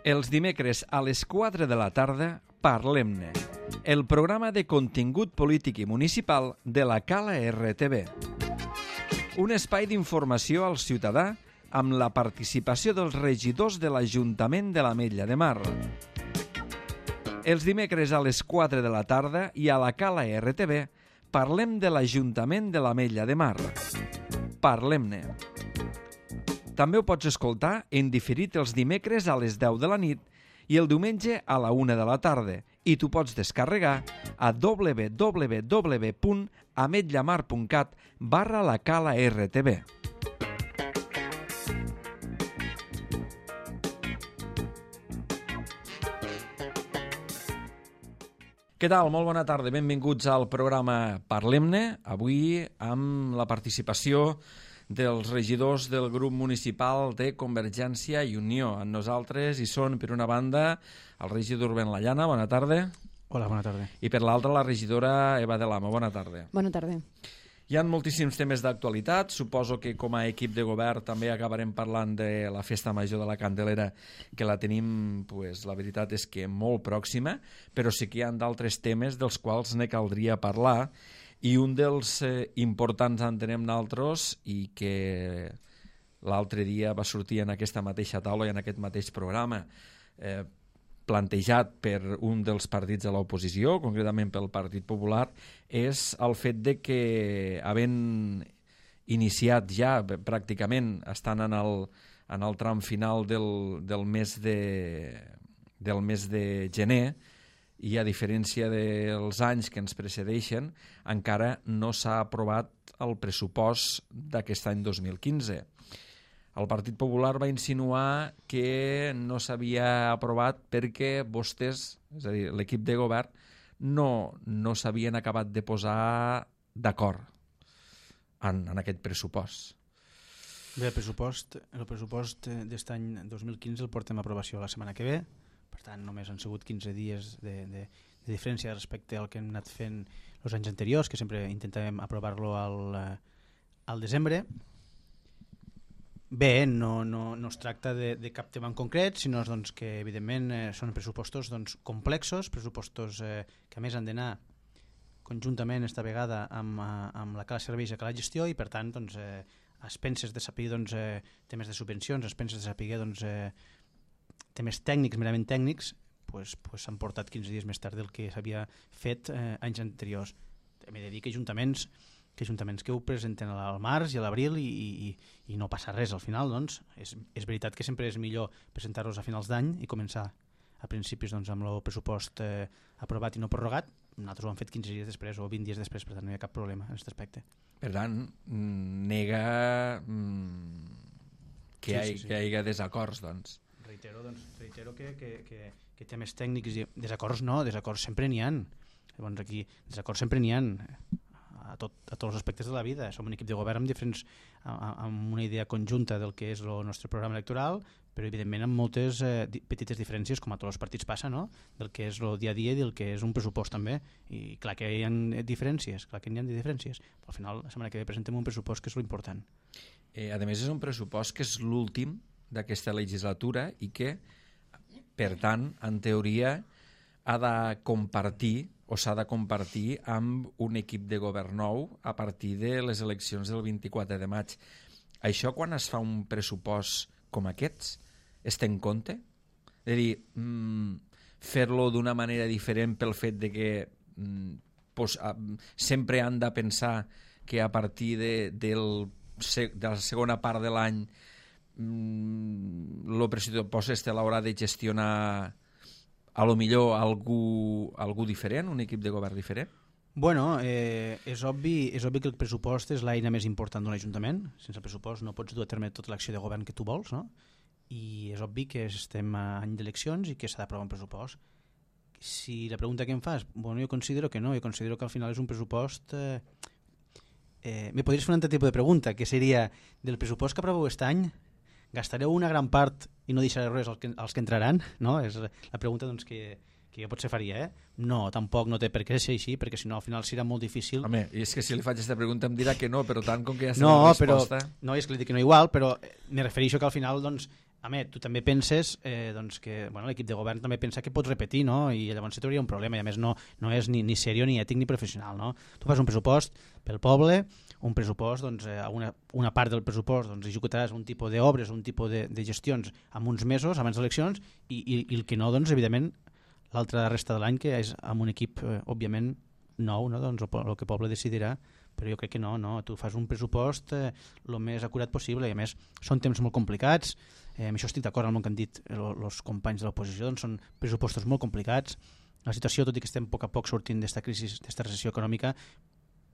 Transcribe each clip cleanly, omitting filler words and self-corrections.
Els dimecres a les 4 de la tarda, Parlem-ne, el programa de contingut polític i municipal de la Cala RTV. Un espai d'informació al ciutadà amb la participació dels regidors de l'Ajuntament de l'Ametlla de Mar. Els dimecres a les 4 de la tarda i a la Cala RTV parlem de l'Ajuntament de l'Ametlla de Mar. Parlem-ne. També ho pots escoltar en diferit els dimecres a les 10 de la nit i el diumenge a la 1 de la tarda i t'ho pots descarregar a www.ametllamar.cat/la Cala RTV. Què tal? Molt bona tarda. Benvinguts al programa Parlem-ne. Avui amb la participació dels regidors del grup municipal de Convergència i Unió. Amb nosaltres hi són, per una banda, el regidor Ben Layana, bona tarda. Hola, bona tarda. I per l'altra, la regidora Eva de Lama, bona tarda. Bona tarda. Hi ha moltíssims temes d'actualitat. Suposo que com a equip de govern també acabarem parlant de la Festa Major de la Candelera, que la tenim, pues, la veritat és que molt pròxima, però sí que hi ha d'altres temes dels quals ne caldria parlar, i un dels importants entenem nosaltres i que l'altre dia va sortir en aquesta mateixa taula i en aquest mateix programa plantejat per un dels partits de l'oposició, concretament pel Partit Popular, és el fet de que, havent iniciat ja pràcticament, estan en el tram final del mes de gener, i a diferència dels anys que ens precedeixen, encara no s'ha aprovat el pressupost d'aquest any 2015. El Partit Popular va insinuar que no s'havia aprovat perquè vostès, és a dir, l'equip de govern, no s'havien acabat de posar d'acord en aquest pressupost. Bé, el pressupost d'aquest any 2015 el portem a aprovació la setmana que ve. Per tant, només han sigut 15 dies de diferència respecte al que hem anat fent els anys anteriors, que sempre intentàvem aprovar-lo al desembre. Bé, no es tracta de cap tema en concret, sinó doncs, que evidentment són pressupostos complexos, pressupostos que a més han d'anar conjuntament esta vegada amb la Cala Serveis i la Cala Gestió, i per tant a expenses de saber temes de subvencions, a expenses de saber temes tècnics, merament tècnics, s'han portat 15 dies més tard del que s'havia fet anys anteriors. Hem de dir que ajuntaments que ho presenten al març i a l'abril i no passa res al final, doncs. És veritat que sempre és millor presentar-los a finals d'any i començar a principis amb el pressupost aprovat i no prorrogat. Nosaltres ho hem fet 15 dies després o 20 dies després, per tant no hi ha cap problema en aquest aspecte. Per tant, nega que hi hagi desacords, doncs. Reitero que temes tècnics i desacords sempre n'hi ha. Llavors aquí desacords sempre n'hi ha a tots els aspectes de la vida. Som un equip de govern amb una idea conjunta del que és el nostre programa electoral, però evidentment amb moltes petites diferències, com a tots els partits passa, no? Del que és el dia a dia i del que és un pressupost també. I clar que hi ha diferències, però al final la setmana que ve presentem un pressupost que és l'important. A més, és un pressupost que és l'últim d'aquesta legislatura i que, per tant, en teoria, s'ha de compartir amb un equip de govern nou a partir de les eleccions del 24 de maig. Això, quan es fa un pressupost com aquests, es té en compte? És a dir, fer-lo d'una manera diferent pel fet de que sempre han de pensar que a partir de la segona part de l'any el pressupost l'haurà de gestionar a lo millor algú diferent, un equip de govern diferent? Bueno, és obvi que el pressupost és l'eina més important d'un ajuntament. Sense el pressupost no pots dur a terme tota l'acció de govern que tu vols, no? I és obvi que estem a any d'eleccions i que s'ha d'aprovar un pressupost. Si la pregunta que em fas, bueno, jo considero que no, jo considero que al final és un pressupost... Me podries fer un altre tipus de pregunta, que seria, del pressupost que aproveu aquest any, gastareu una gran part i no deixareu res als que entraran? No? És la pregunta que jo potser faria. No, tampoc no té per què ser així, perquè si no al final serà molt difícil. Home, i és que si li faig aquesta pregunta em dirà que no, però tant com que ja està la resposta... No, és que li dic que no igual, però me refereixo que al final tu també penses doncs que l'equip de govern també pensa que pot repetir, no? I llavors se trobaria un problema, i a més no és ni seriós, ni ètic, ni professional, no? Tu fas un pressupost pel poble, un pressupost, doncs, una part del pressupost doncs, executaràs un tipus d'obres, un tipus de gestions en uns mesos abans d'eleccions, i el que no, doncs, evidentment, l'altra resta de l'any, que és amb un equip, òbviament, nou, no? Doncs el que el poble decidirà, però jo crec que no, tu fas un pressupost el més acurat possible, i a més són temps molt complicats, amb això estic d'acord amb el que han dit els companys de l'oposició, doncs són pressupostos molt complicats, la situació, tot i que estem a poc sortint d'esta crisi, d'esta recessió econòmica,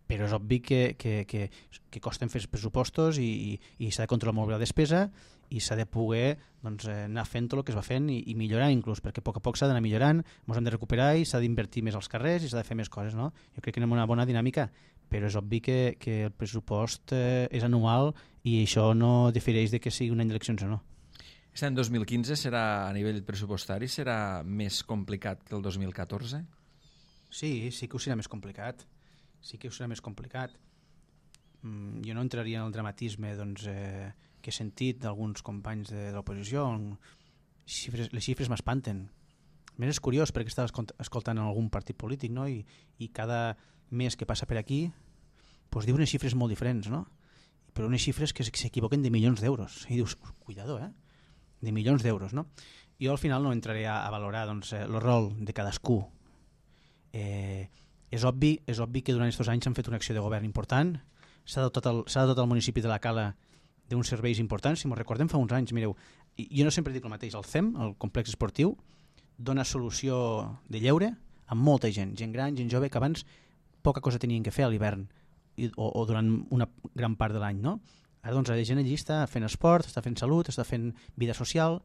però és obvi que costen fer pressupostos i s'ha de controlar molt bé la despesa i s'ha de poder doncs, anar fent tot el que es va fent i millorar inclús, perquè a poc s'ha d'anar millorant, ens hem de recuperar i s'ha d'invertir més als carrers i s'ha de fer més coses, no? Jo crec que anem una bona dinàmica, però és obvi que el pressupost és anual i això no difereix de que sigui un any d'eleccions o no. Aquest any 2015 serà, a nivell pressupostari, serà més complicat que el 2014? Sí que ho serà més complicat. Jo no entraria en el dramatisme doncs, que he sentit d'alguns companys de l'oposició. Les xifres m'espanten. A més és curiós perquè estava escoltant en algun partit polític, no? I cada mes que passa per aquí doncs diu unes xifres molt diferents, no? Però unes xifres que s'equivoquen de milions d'euros. I dius, cuidado, de milions d'euros, no? Jo al final no entraré a valorar doncs, el rol de cadascú. És obvi que durant aquests anys s'han fet una acció de govern important, s'ha dotat el municipi de la Cala d'uns serveis importants. Si m'ho recordem fa uns anys, mireu, jo no sempre dic el mateix, el CEM, el complex esportiu, dona solució de lleure a molta gent gran, gent jove, que abans poca cosa tenien que fer a l'hivern o durant una gran part de l'any, no? Ara doncs la gent allí està fent esport, està fent salut, està fent vida social.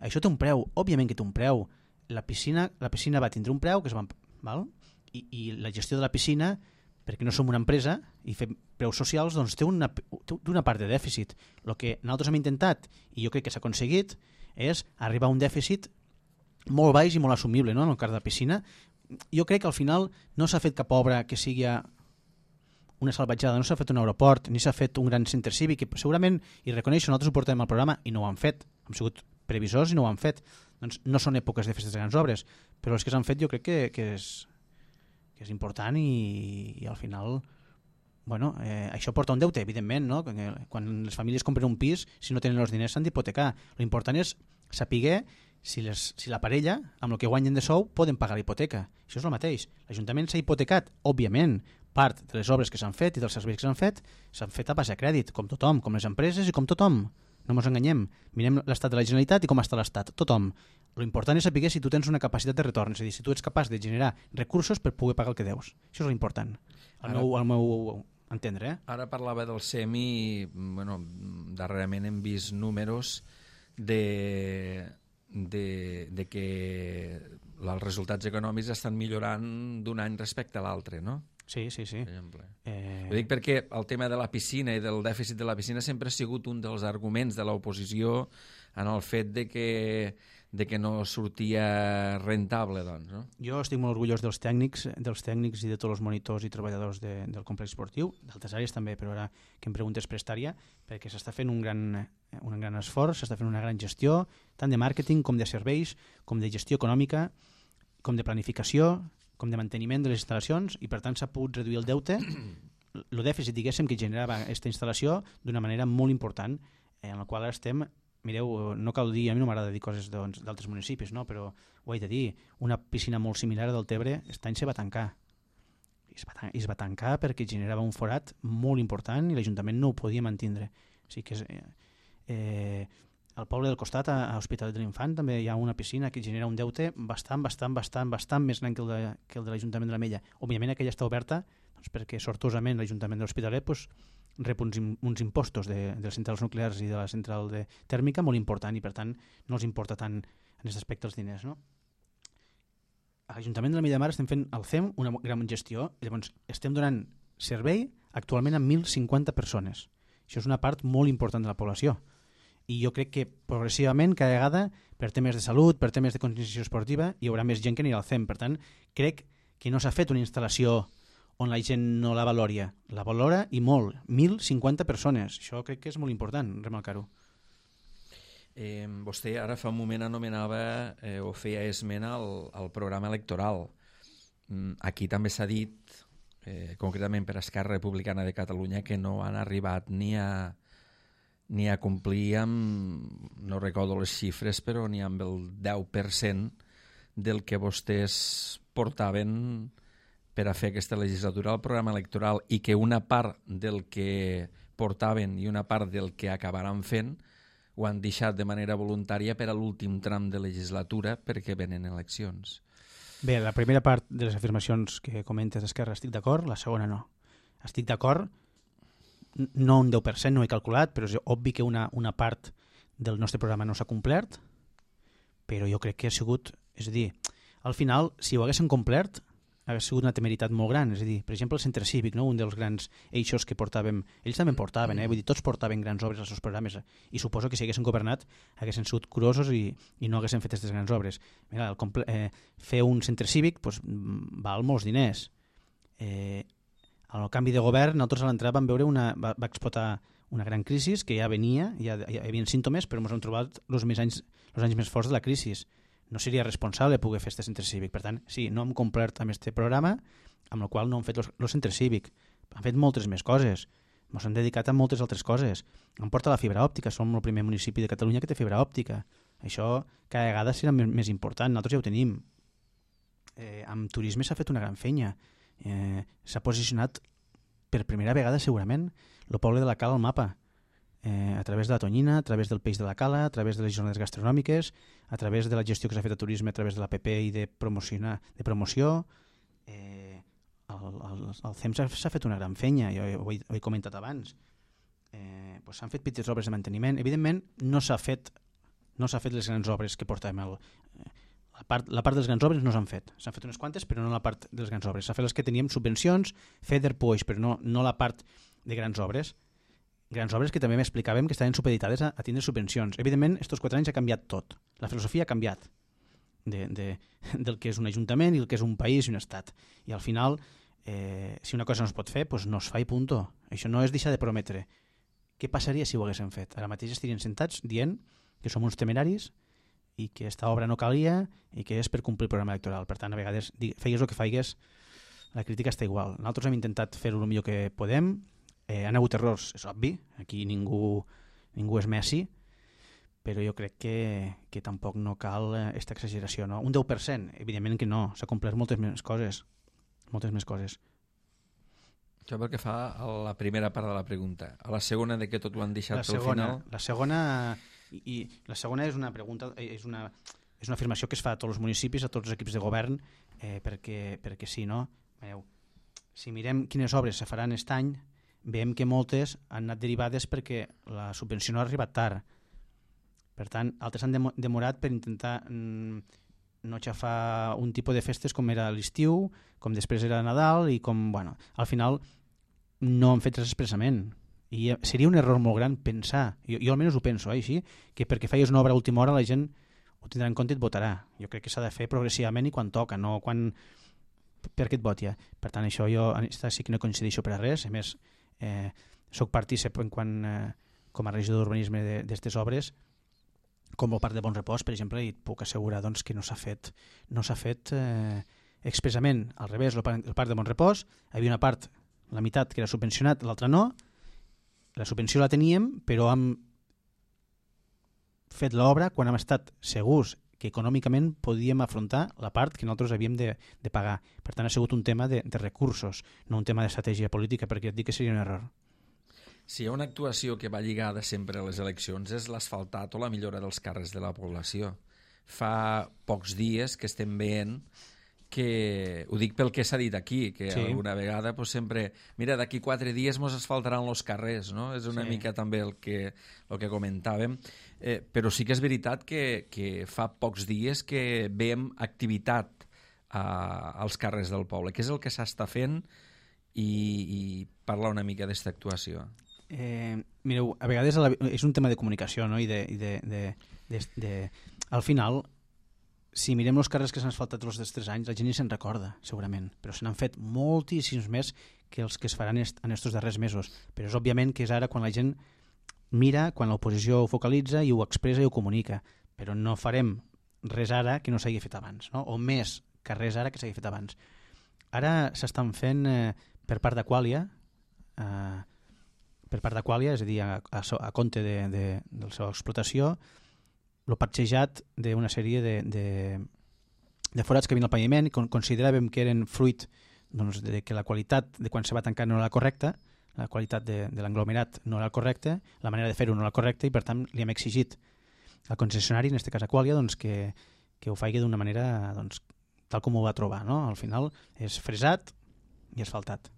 Això té un preu, òbviament que té un preu. La piscina va tindre un preu que es va... Val? I la gestió de la piscina, perquè no som una empresa i fem preus socials, doncs té una part de dèficit. El que nosaltres hem intentat, i jo crec que s'ha aconseguit, és arribar a un dèficit molt baix i molt assumible, no? En el cas de la piscina. Jo crec que al final no s'ha fet cap obra que sigui una salvatjada, no s'ha fet un aeroport ni s'ha fet un gran centre cívic, que segurament, i reconeixo, nosaltres ho portem al programa i no ho han fet, hem sigut previsors i no ho han fet. Doncs no són èpoques de festes de grans obres, però els que s'han fet jo crec que és important i al final això porta un deute, evidentment, no? Quan les famílies compren un pis, si no tenen els diners s'han d'hipotecar. L'important és saber si la parella, amb el que guanyen de sou, poden pagar la hipoteca. Això és el mateix. L'Ajuntament s'ha hipotecat, òbviament, part de les obres que s'han fet i dels serveis que s'han fet a base de crèdit, com tothom, com les empreses i com tothom. No ens enganyem. Mirem l'estat de la Generalitat i com està l'estat. Tothom. L'important és saber si tu tens una capacitat de retorn, és a dir, si tu ets capaç de generar recursos per poder pagar el que deus. Això és l'important. Al meu entendre. Ara parlava del SEM i darrerament hem vist números de que els resultats econòmics estan millorant d'un any respecte a l'altre, no? Sí. Ho dic perquè el tema de la piscina i del dèficit de la piscina sempre ha sigut un dels arguments de l'oposició en el fet de que no sortia rentable, doncs, no? Jo estic molt orgullós dels tècnics i de tots els monitors i treballadors del complex esportiu, d'altres àrees també, però ara que em preguntes prestària, perquè s'està fent un gran esforç, s'està fent una gran gestió, tant de màrqueting com de serveis, com de gestió econòmica, com de planificació, com de manteniment de les instal·lacions, i per tant s'ha pogut reduir el deute, el dèficit, diguéssim, que generava aquesta instal·lació d'una manera molt important, en la qual ara estem. Mireu, no cal dir, a mi no m'agrada dir coses d'altres municipis, no? Però ho he de dir, una piscina molt similar a del Tebre aquest any se va tancar. I es va tancar perquè generava un forat molt important i l'Ajuntament no ho podia mantindre. O sigui que al poble del costat, a Hospitalet de l'Infant, també hi ha una piscina que genera un deute bastant més gran que el de l'Ajuntament de l'Ametlla. Òbviament aquella està oberta doncs, perquè sortosament l'Ajuntament de l'Hospitalet rep uns impostos de les centrals nuclears i de la central tèrmica molt important i per tant no els importa tant en aquest aspecte els diners, no? A l'Ajuntament de l'Ametlla de Mar estem fent al CEM una gran gestió, llavors estem donant servei actualment a 1.050 persones. Això és una part molt important de la població. I jo crec que progressivament, cada vegada, per temes de salut, per temes de conscienciació esportiva, hi haurà més gent que anirà al CEM. Per tant, crec que no s'ha fet una instal·lació on la gent no la valora. La valora i molt. 1.050 persones. Això crec que és molt important, remarcar-ho. Vostè ara fa un moment anomenava o feia esment al programa electoral. Aquí també s'ha dit, concretament per Esquerra Republicana de Catalunya, que no han arribat ni a complir amb, no recordo les xifres, però ni amb el 10% del que vostès portaven per a fer aquesta legislatura al programa electoral, i que una part del que portaven i una part del que acabaran fent ho han deixat de manera voluntària per a l'últim tram de legislatura perquè venen eleccions. Bé, la primera part de les afirmacions que comentes d'Esquerra estic d'acord, la segona no. Estic d'acord, no un 10%, no he calculat, però és obvi que una part del nostre programa no s'ha complert, però jo crec que ha sigut, és a dir, al final, si ho haguessin complert, hagués sigut una temeritat molt gran. És a dir, per exemple, el centre cívic, no? Un dels grans eixos que portàvem, ells també en portaven, vull dir, tots portaven grans obres als seus programes, i suposo que si haguessin governat haguessin sigut curosos i no haguessin fet aquestes grans obres. Mira, fer un centre cívic doncs, val molts diners. Al canvi de govern, nosaltres a l'entrada vam veure va explotar una gran crisi que ja venia, ja hi havia símptomes, però ens hem trobat els anys més forts de la crisi. No seria responsable poder fer aquest centre cívic. Per tant, sí, no hem complert amb aquest programa, amb el qual no hem fet el centre cívic. Han fet moltes més coses. Ens han dedicat a moltes altres coses. Em porta la fibra òptica. Som el primer municipi de Catalunya que té fibra òptica. Això cada vegada serà més important. Nosaltres ja ho tenim. Amb turisme s'ha fet una gran feina. S'ha posicionat per primera vegada, segurament, el poble de la Cala al mapa. A través de la tonyina, a través del peix de la Cala, a través de les jornades gastronòmiques, a través de la gestió que s'ha fet de turisme, a través de l'APP i de promoció. El CEM s'ha fet una gran feina, jo ho he comentat abans. S'han fet petites obres de manteniment. Evidentment, no s'ha fet les grans obres que portàvem. La part de les grans obres no s'han fet. S'han fet unes quantes, però no la part de les grans obres. S'ha fet les que teníem subvencions, FEDER, PUEX, però no la part de grans obres. Grans obres que també m'explicàvem que estaven supeditades a tindre subvencions. Evidentment, aquests 4 anys ha canviat tot. La filosofia ha canviat del que és un ajuntament i el que és un país i un estat. I al final, si una cosa no es pot fer, doncs no es fa i punto. Això no és deixar de prometre. Què passaria si ho haguéssim fet? Ara mateix estarien sentats dient que som uns temeraris i que aquesta obra no calia i que és per complir el programa electoral. Per tant, a vegades, feigues el que feigues, la crítica està igual. Nosaltres hem intentat fer-ho el millor que podem. Han hagut errors, és obvi, aquí ningú és Messi, però jo crec que tampoc no cal aquesta exageració. No? Un 10%, evidentment que no, s'ha complert moltes més coses. Això pel que fa a la primera part de la pregunta. A la segona, de que tot ho han deixat pel final? La segona és una pregunta, és una afirmació que es fa a tots els municipis, a tots els equips de govern, perquè sí, no? Si mirem quines obres se faran aquest any, veiem que moltes han anat derivades perquè la subvenció no ha arribat tard. Per tant, altres han demorat per intentar no xafar un tipus de festes com era l'estiu, com després era Nadal i com, bueno, al final no han fet res expressament. I seria un error molt gran pensar, jo almenys ho penso, així, que perquè feies una obra a última hora la gent ho tindrà en compte i et votarà. Jo crec que s'ha de fer progressivament i quan toca, no quan perquè et voti. Per tant, això jo sí que no coincideixo per a res. A més, soc partícip com a regidor d'urbanisme d'aquestes obres, com el Parc de Bon Repòs, per exemple, i et puc assegurar doncs, que no s'ha fet expressament. Al revés, el Parc de Bon Repòs, hi havia una part, la meitat que era subvencionat, l'altra no. La subvenció la teníem, però hem fet l'obra quan hem estat segurs que econòmicament podíem afrontar la part que nosaltres havíem de pagar. Per tant, ha sigut un tema de recursos, no un tema d'estratègia política, perquè et dic que seria un error. Si hi ha una actuació que va lligada sempre a les eleccions és l'asfaltat o la millora dels carrers de la població. Fa pocs dies que estem veient que, ho dic pel que s'ha dit aquí, que sí, alguna vegada pues, sempre, mira, d'aquí 4 dies mos asfaltaran els carrers, no? És una mica també el que comentàvem, però sí que és veritat que fa pocs dies que veiem activitat als carrers del poble. Què és el que s'està fent i parlar una mica d'aquesta actuació? Mireu, a vegades és un tema de comunicació, no? I al final, si mirem els carrers que s'han asfaltat els dels 3 anys, la gent ni se'n recorda, segurament, però se n'han fet moltíssims més que els que es faran en aquests darrers mesos. Però és òbviament que és ara quan la gent mira quan l'oposició ho focalitza i ho expressa i ho comunica, però no farem res ara que no s'hagi fet abans, no? O més que res ara que s'hagi fet abans. Ara s'estan fent per part d'Aquàlia, és a dir, a compte de la seva explotació, el parxejat d'una sèrie de forats que havien al paviment i consideràvem que eren fruit doncs, de que la qualitat de quan se va tancar no era la correcta, la qualitat de l'englomerat no era el correcte, la manera de fer-ho no era el correcte i per tant li hem exigit al concessionari, en aquest cas Aquàlia, doncs, que ho faci d'una manera doncs, tal com ho va trobar. No? Al final és fresat i asfaltat.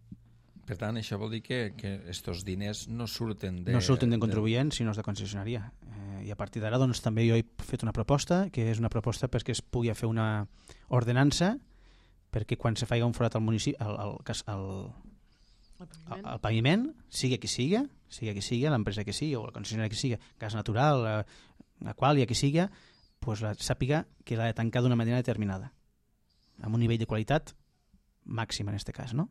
Per tant, això vol dir que estos diners no surten d'en contribuent, sinó de concessionària. I a partir d'ara doncs, també jo he fet una proposta, que és una proposta perquè es pugui fer una ordenança perquè quan se faci un forat al municipi, al paviment, sigui qui sigui, l'empresa que sigui, o la concessionària que sigui, gas natural, Aquàlia, que sigui, pues sàpiga que l'ha de tancar d'una manera determinada, amb un nivell de qualitat màxim en aquest cas, no?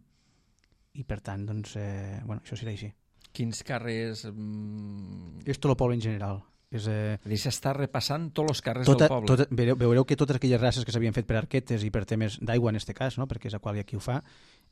I per tant, doncs, això serà així. Quins carrers... És tot el poble en general. És a dir, s'està repassant tots els carrers del poble. Veureu que totes aquelles races que s'havien fet per arquetes i per temes d'aigua en aquest cas, no? Perquè és Aquàlia qui ho fa,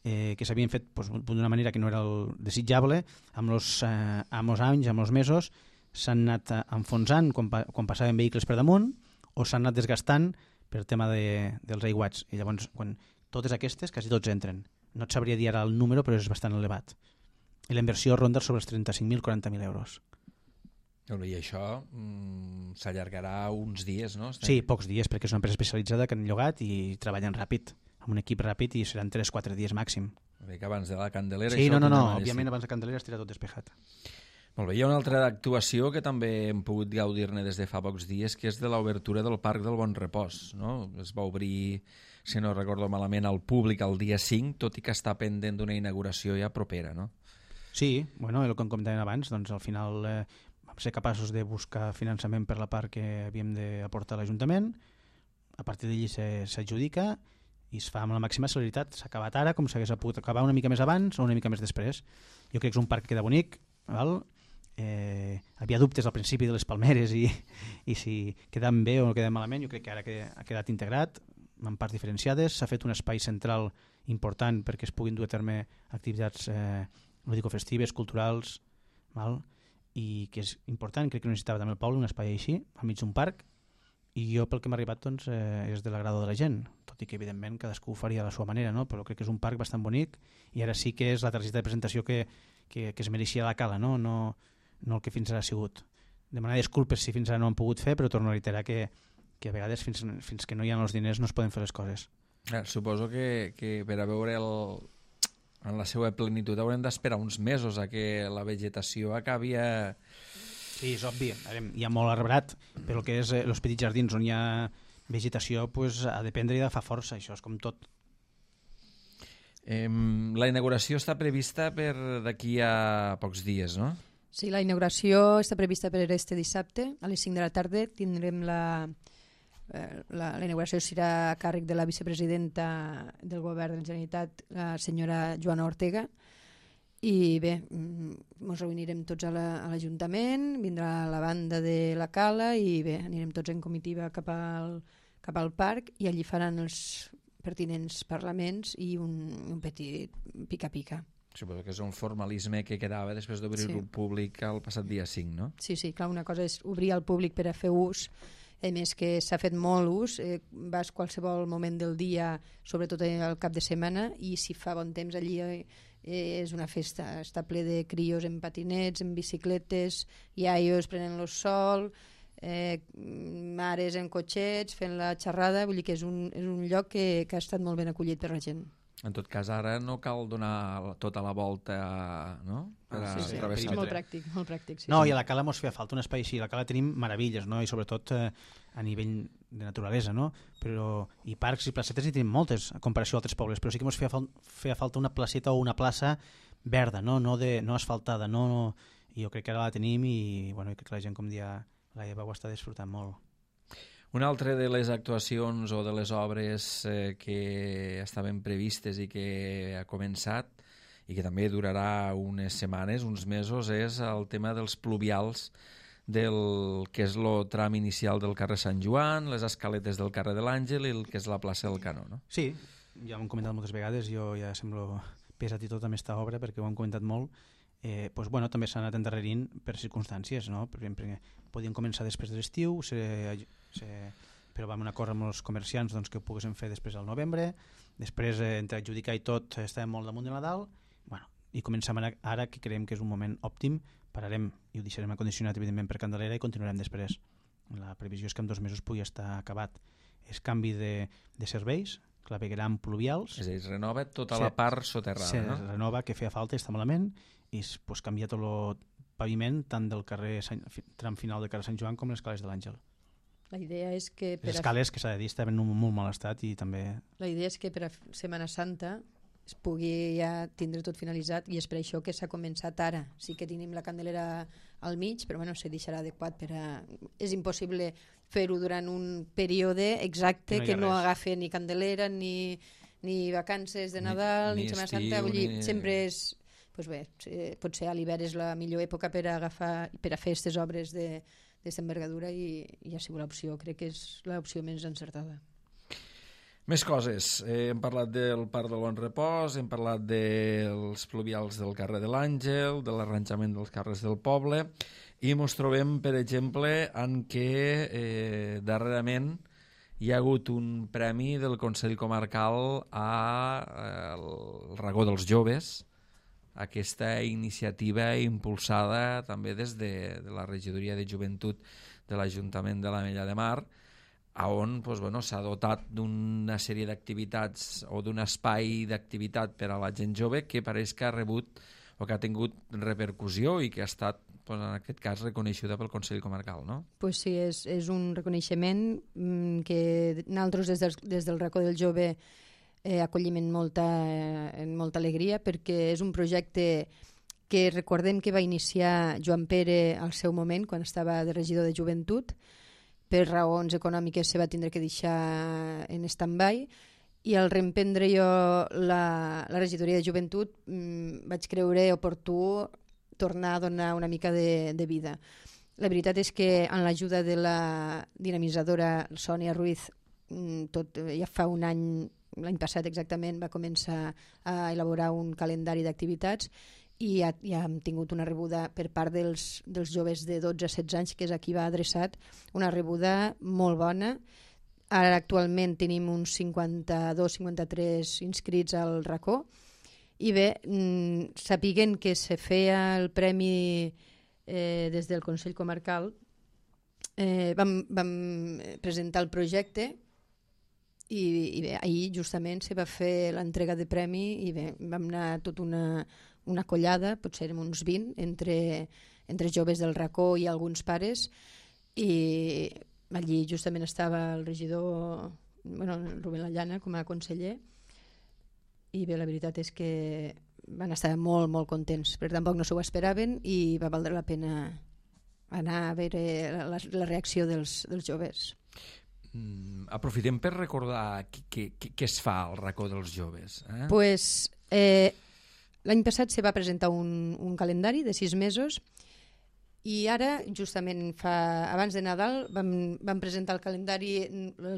que s'havien fet d'una manera que no era el desitjable, amb els anys, amb els mesos, s'han anat enfonsant quan passaven vehicles per damunt o s'han anat desgastant per tema dels aiguats. I llavors, quan totes aquestes, quasi tots entren. No et sabria dir ara el número, però és bastant elevat. I la inversió ronda sobre els 35.000, 40.000 euros. I això s'allargarà uns dies, no? Sí, pocs dies, perquè és una empresa especialitzada que han llogat i treballen ràpid, amb un equip ràpid, i seran 3-4 dies màxim. Que abans de la Candelera... Sí, no, òbviament abans de Candelera estirà tot despejat. Molt bé, hi ha una altra actuació que també hem pogut gaudir-ne des de fa pocs dies, que és de l'obertura del Parc del Bon Repòs. No? Es va obrir, si no recordo malament, al públic el dia 5, tot i que està pendent d'una inauguració ja propera, no? Sí, bueno, el que comentàvem abans, doncs al final vam ser capaços de buscar finançament per la part que havíem d'aportar a l'Ajuntament, a partir d'allí s'adjudica i es fa amb la màxima celeritat. S'ha acabat ara com s'hagués pogut acabar una mica més abans o una mica més després. Jo crec que és un parc que queda bonic, val? Havia dubtes al principi de les palmeres i si quedaven bé o no quedaven malament. Jo crec que ara ha quedat integrat en parts diferenciades, s'ha fet un espai central important perquè es puguin dur a terme activitats lúdico-festives, culturals, val? I que és important, crec que necessitava també el poble un espai així, al mig d'un parc, i jo pel que m'ha arribat doncs, és de l'agrado de la gent, tot i que evidentment cadascú ho faria a la seva manera, no? Però crec que és un parc bastant bonic i ara sí que és la targeta de presentació que es mereixia la Cala, no el que fins ara ha sigut. Demanar disculpes si fins ara no han pogut fer, però torno a reiterar que a vegades fins que no hi ha els diners no es poden fer les coses. Suposo que per a veure en la seva plenitud haurem d'esperar uns mesos a que la vegetació acabi a... Sí, és obvi, hi ha molt arbrat, però el que és els petits jardins on hi ha vegetació pues, ha de prendre i de fa força, això és com tot. La inauguració està prevista per d'aquí a pocs dies, no? Sí, la inauguració està prevista per este dissabte, a les 5 de la tarda tindrem la inauguració serà a càrrec de la vicepresidenta del govern de la Generalitat, la senyora Joana Ortega, i bé, ens reunirem tots a l'Ajuntament, vindrà la banda de la Cala i bé, anirem tots en comitiva cap al parc i allí faran els pertinents parlaments i un petit pica-pica. Suposo que és un formalisme que quedava després d'obrir-ho al públic el passat dia 5, no? Sí, clar, una cosa és obrir al públic per a fer ús, a més que s'ha fet molt ús, vas qualsevol moment del dia, sobretot al cap de setmana, i si fa bon temps allí és una festa, està ple de crios en patinets, en bicicletes, iaios prenent el sol, mares en cotxets fent la xerrada, vull dir que és un lloc que ha estat molt ben acollit per la gent. En tot cas, ara no cal donar tota la volta, no? Sí, és molt pràctic, molt pràctic. Sí, no, i a la Cala mos feia falta un espai així. A la Cala tenim meravelles, no? I sobretot a nivell de naturalesa, no? I parcs i placetes hi tenim moltes, a comparació a altres pobles, però sí que mos feia falta una placeta o una plaça verda, no asfaltada. I jo crec que ara la tenim i crec que la gent, com dia la Eva, ho està disfrutant molt. Una altra de les actuacions o de les obres que estaven previstes i que ha començat i que també durarà unes setmanes, uns mesos, és el tema dels pluvials del que és el tram inicial del carrer Sant Joan, les escaletes del carrer de l'Àngel i el que és la plaça del Canó, no? Sí, ja ho hem comentat moltes vegades, jo ja semblo pesat i tot amb aquesta obra perquè ho hem comentat molt. Doncs, bueno, també s'ha anat endarrerint per circumstàncies, no? Per exemple, podien començar després de l'estiu, però vam acord amb els comerciants doncs, que ho poguessin fer després del novembre, després entre adjudicar i tot estàvem molt damunt de Nadal, bueno, i comencem ara que creiem que és un moment òptim, pararem i ho deixarem acondicionat evidentment per Candelera i continuarem després. La previsió és que en 2 mesos pugui estar acabat. És canvi de serveis, clavegueram pluvials. És a dir, es renova tota la part soterrada, no? Se renova, que feia falta, està malament, i pues, canvia tot el paviment tant del carrer tram final del carrer Sant Joan com les escales de l'Àngel. La idea és que les escales, que s'ha de dir, estaven en un molt mal estat i també... La idea és que per a Setmana Santa es pugui ja tindre tot finalitzat i és per això que s'ha començat ara. Sí que tenim la Candelera al mig, però bueno, se deixarà adequat per a... És impossible fer-ho durant un període exacte que no agafi ni Candelera ni vacances de Nadal ni Setmana Santa. Vull dir, sempre és... Pues bé, potser a l'hivern és la millor època per a fer aquestes obres d'aquesta envergadura i ha sigut l'opció, crec que és l'opció més encertada. Més coses. Hem parlat del Parc del Bon Repòs, hem parlat dels pluvials del carrer de l'Àngel, de l'arranjament dels carrers del poble, i ens trobem, per exemple, en què darrerament hi ha hagut un premi del Consell Comarcal al Racó dels Joves, aquesta iniciativa impulsada també des de la Regidoria de Joventut de l'Ajuntament de l'Ametlla de Mar, on s'ha dotat d'una sèrie d'activitats o d'un espai d'activitat per a la gent jove que pareix que ha rebut o que ha tingut repercussió i que ha estat, en aquest cas, reconeixuda pel Consell Comarcal, no? Pues sí, és un reconeixement que nosaltres des del Racó del Jove acollim amb molta alegria, perquè és un projecte que recordem que va iniciar Joan Pere al seu moment, quan estava de regidor de Joventut. Per raons econòmiques se va tindre que deixar en stand-by, i al reemprendre jo la regidoria de Joventut vaig creure oportú tornar a donar una mica de vida. La veritat és que amb l'ajuda de la dinamitzadora Sònia Ruiz, ja fa un any, l'any passat exactament, va començar a elaborar un calendari d'activitats i ja hem tingut una rebuda per part dels joves de 12 a 16 anys, que és a qui va adreçat, una rebuda molt bona. Ara actualment tenim uns 52-53 inscrits al racó i bé, sapiguen que se feia el premi des del Consell Comarcal, vam presentar el projecte i bé, ahir justament se va fer l'entrega de premi i bé, vam anar tota una collada, potser érem uns 20 entre joves del racó i alguns pares, i allí justament estava el regidor Rubén Lallana com a conseller, i bé, la veritat és que van estar molt, molt contents, però tampoc no s'ho esperaven i va valdre la pena anar a veure la reacció dels joves. Aprofitem per recordar què es fa al Racó dels Joves. Pues, l'any passat se va presentar un calendari de 6 mesos i ara, justament abans de Nadal, vam presentar el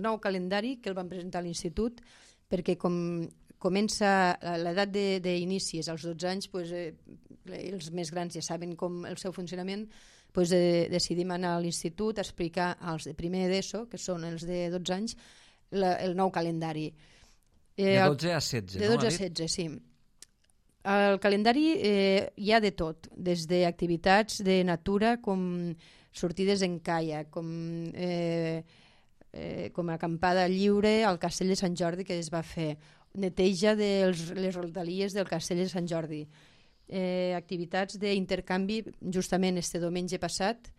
nou calendari que el vam presentar a l'institut, perquè com comença l'edat d'inici és als 12 anys, els més grans ja saben com el seu funcionament, decidim anar a l'institut a explicar als de primer d'ESO, que són els de 12 anys, el nou calendari. De 12 a 16, de 12 a 16, sí. Al calendari hi ha de tot, des d'activitats de natura com sortides en caiac, com acampada lliure al Castell de Sant Jordi que es va fer, neteja de les rodalies del Castell de Sant Jordi, activitats d'intercanvi. Justament este diumenge passat,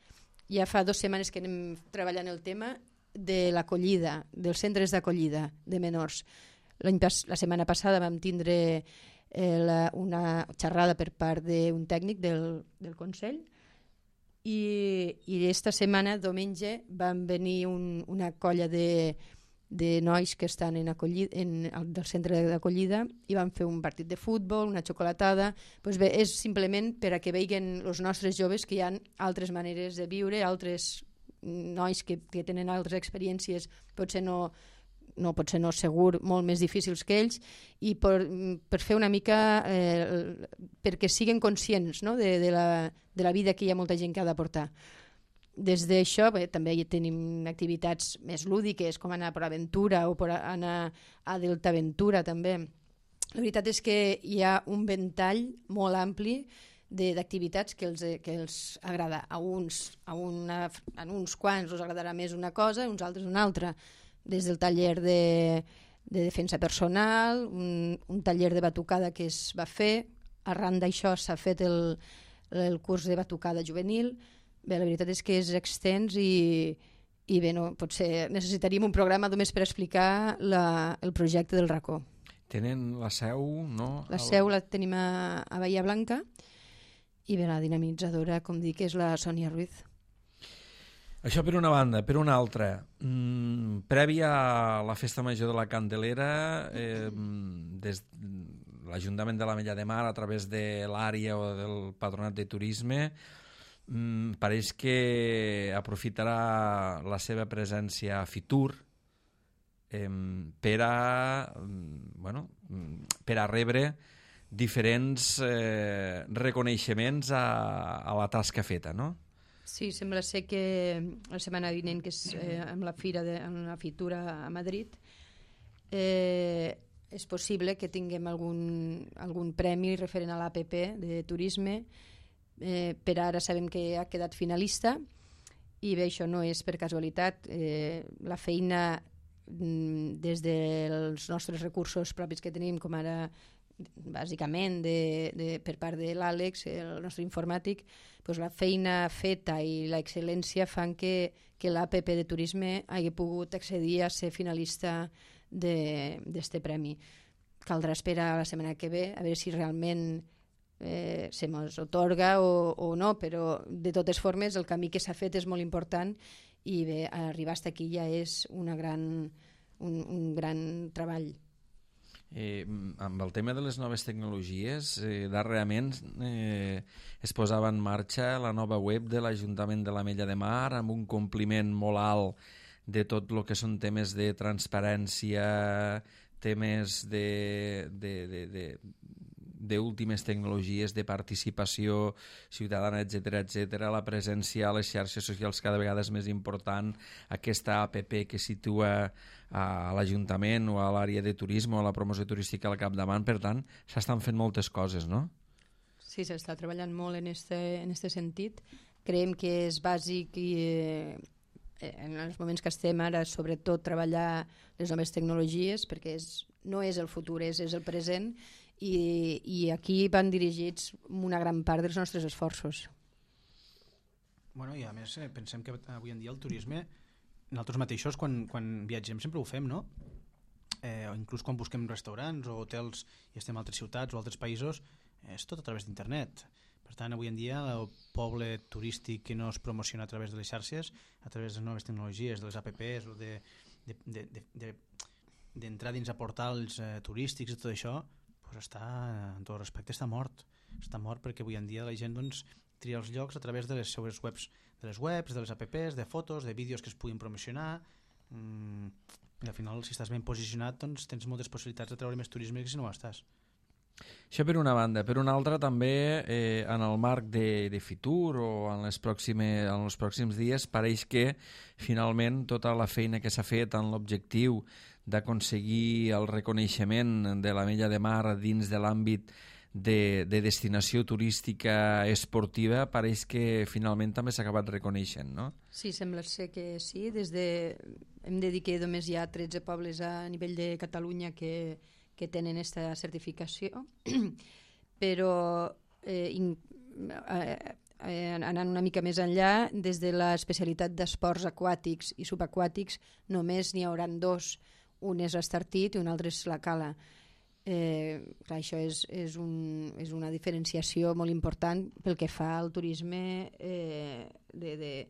ja fa 2 setmanes que anem treballant el tema de l'acollida, dels centres d'acollida de menors. La setmana passada vam tindre una xerrada per part d'un tècnic del Consell i esta setmana, diumenge, van venir una colla de de nois que estan del centre d'acollida i van fer un partit de futbol, una xocolatada. Doncs bé, és simplement per a que vegin els nostres joves que hi ha altres maneres de viure, altres nois que tenen altres experiències, potser no segur, molt més difícils que ells, i per fer una mica perquè siguin conscients, no? de la vida que hi ha molta gent que ha de portar. Des d'això també tenim activitats més lúdiques, com anar a PortAventura o anar a DeltaAventura també. La veritat és que hi ha un ventall molt ampli d'activitats que els agrada. A uns quants els agradarà més una cosa, a uns altres una altra. Des del taller de defensa personal, un taller de batucada que es va fer. Arran d'això s'ha fet el curs de batucada juvenil. Bé, la veritat és que és extens i bé, no, potser necessitaríem un programa només per explicar el projecte del racó. Tenen la seu, no? La seu la tenim a Bahia Blanca i bé, la dinamitzadora, com dic, és la Sònia Ruiz. Això per una banda. Per una altra, prèvia a la Festa Major de la Candelera, des l'Ajuntament de l'Ametlla de Mar, a través de l'àrea o del Patronat de Turisme, pareix que aprofitarà la seva presència a Fitur per a rebre diferents reconeixements a la tasca feta, no? Sí, sembla ser que la setmana vinent, que és amb la fira amb la Fitura a Madrid, és possible que tinguem algun premi referent a l'APP de turisme. Per ara sabem que ha quedat finalista i bé, això no és per casualitat. La feina des dels nostres recursos propis que tenim, com ara bàsicament per part de l'Àlex, el nostre informàtic, doncs la feina feta i l'excel·lència fan que l'APP de turisme hagi pogut accedir a ser finalista d'este premi. Caldrà esperar la setmana que ve a veure si realment se mos otorga o no, però de totes formes el camí que s'ha fet és molt important i bé, arribar fins aquí ja és un gran treball. Amb el tema de les noves tecnologies, darrerament es posava en marxa la nova web de l'Ajuntament de l'Ametlla de Mar amb un compliment molt alt de tot el que són temes de transparència, temes d'últimes tecnologies, de participació ciutadana, etc. La presència a les xarxes socials cada vegada és més important. Aquesta APP que situa a l'Ajuntament o a l'àrea de turisme o a la promoció turística al capdavant, per tant, s'estan fent moltes coses, no? Sí, s'està treballant molt en este sentit. Creiem que és bàsic i en els moments que estem ara, sobretot treballar les noves tecnologies, perquè no és el futur, és el present, i aquí van dirigits una gran part dels nostres esforços. Bueno, i a més pensem que avui en dia el turisme, nosaltres mateixos quan viatgem sempre ho fem, no? O inclús quan busquem restaurants o hotels i estem a altres ciutats o altres països, és tot a través d'internet. Per tant, avui en dia el poble turístic que no es promociona a través de les xarxes, a través de les noves tecnologies, de les apps o d'entrar dins a portals turístics i tot això, pues està, en tot respecte, està mort. Està mort perquè avui en dia la gent tria els llocs a través de les seues webs, de les apps, de fotos, de vídeos que es puguin promocionar, i al final, si estàs ben posicionat, doncs tens moltes possibilitats de treure més turisme que si no ho estàs. Això per una banda. Per una altra, també, en el marc de Fitur o en els pròxims dies, pareix que finalment tota la feina que s'ha fet en l'objectiu d'aconseguir el reconeixement de l'Ametlla de Mar dins de l'àmbit de destinació turística esportiva pareix que finalment també s'ha acabat reconeixent, no? Sí, sembla ser que sí. Hem de dir que només hi ha 13 pobles a nivell de Catalunya que tenen aquesta certificació, però anant una mica més enllà, des de l'especialitat d'esports aquàtics i subaquàtics només n'hi hauran 2. Un és l'Estartit i un altre és la Cala. Clar, això és una diferenciació molt important pel que fa al turisme de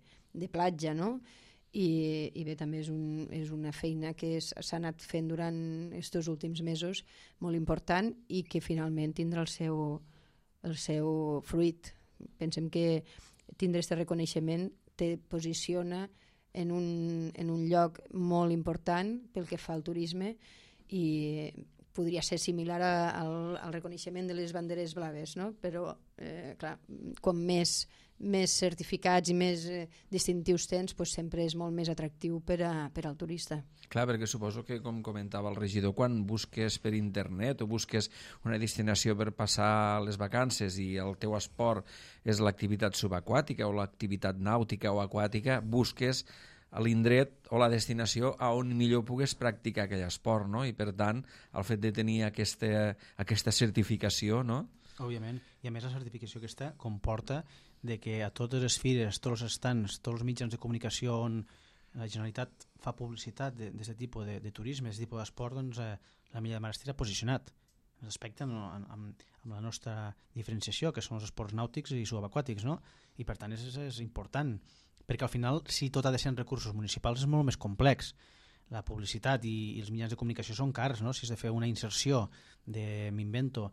platja, no? i bé, també és una feina que s'ha anat fent durant aquests últims mesos molt important i que finalment tindrà el seu fruit. Pensem que tindre aquest reconeixement te posiciona en un lloc molt important pel que fa al turisme i podria ser similar al reconeixement de les banderes blaves, no? Però, clar, com més certificats i més distintius tens, doncs sempre és molt més atractiu per al turista. Clar, perquè suposo que, com comentava el regidor, quan busques per internet o busques una destinació per passar les vacances i el teu esport és l'activitat subaquàtica o l'activitat nàutica o aquàtica, busques a l'indret o la destinació a on millor pugues practicar aquell esport, no? I per tant, el fet de tenir aquesta certificació, no? Òbviament, i a més la certificació aquesta comporta de que a totes les fires, tots els stands, tots els mitjans de comunicació on la Generalitat fa publicitat d'aquest tipus de turisme, d'aquest tipus d'esport, doncs la Milla de Mar estarà posicionat respecte amb la nostra diferenciació, que són els esports nàutics i subaquàtics, no? I per tant és important, perquè al final, si tot ha de ser en recursos municipals, és molt més complex. La publicitat i els mitjans de comunicació són cars, no? Si has de fer una inserció m'invento,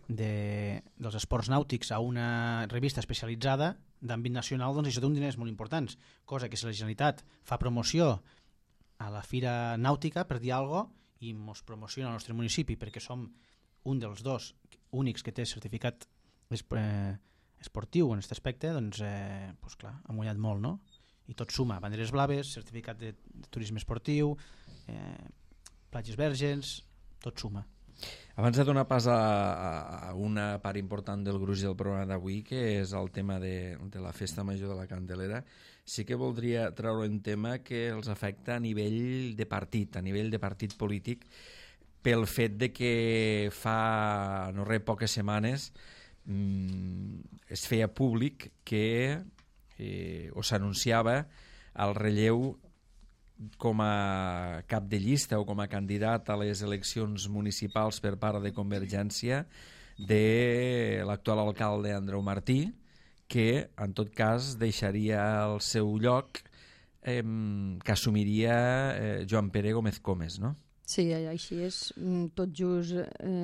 dels esports nàutics a una revista especialitzada d'àmbit nacional, doncs això té uns diners molt importants, cosa que si la Generalitat fa promoció a la Fira Nàutica, per dir alguna cosa, i ens promociona al nostre municipi perquè som un dels dos únics que té certificat esportiu en aquest aspecte, doncs clar, ha mullat molt, no? I tot suma, banderes blaves, certificat de turisme esportiu, platges verges, tot suma. Abans de donar pas a una part important del gruix del programa d'avui, que és el tema de la Festa Major de la Candelera, sí que voldria treure un tema que els afecta a nivell de partit polític, pel fet de que fa no res poques setmanes es feia públic que o s'anunciava el relleu com a cap de llista o com a candidat a les eleccions municipals per part de Convergència de l'actual alcalde Andreu Martí, que en tot cas deixaria el seu lloc que assumiria Joan Pere Gómez Comes, no? Sí, així és, tot just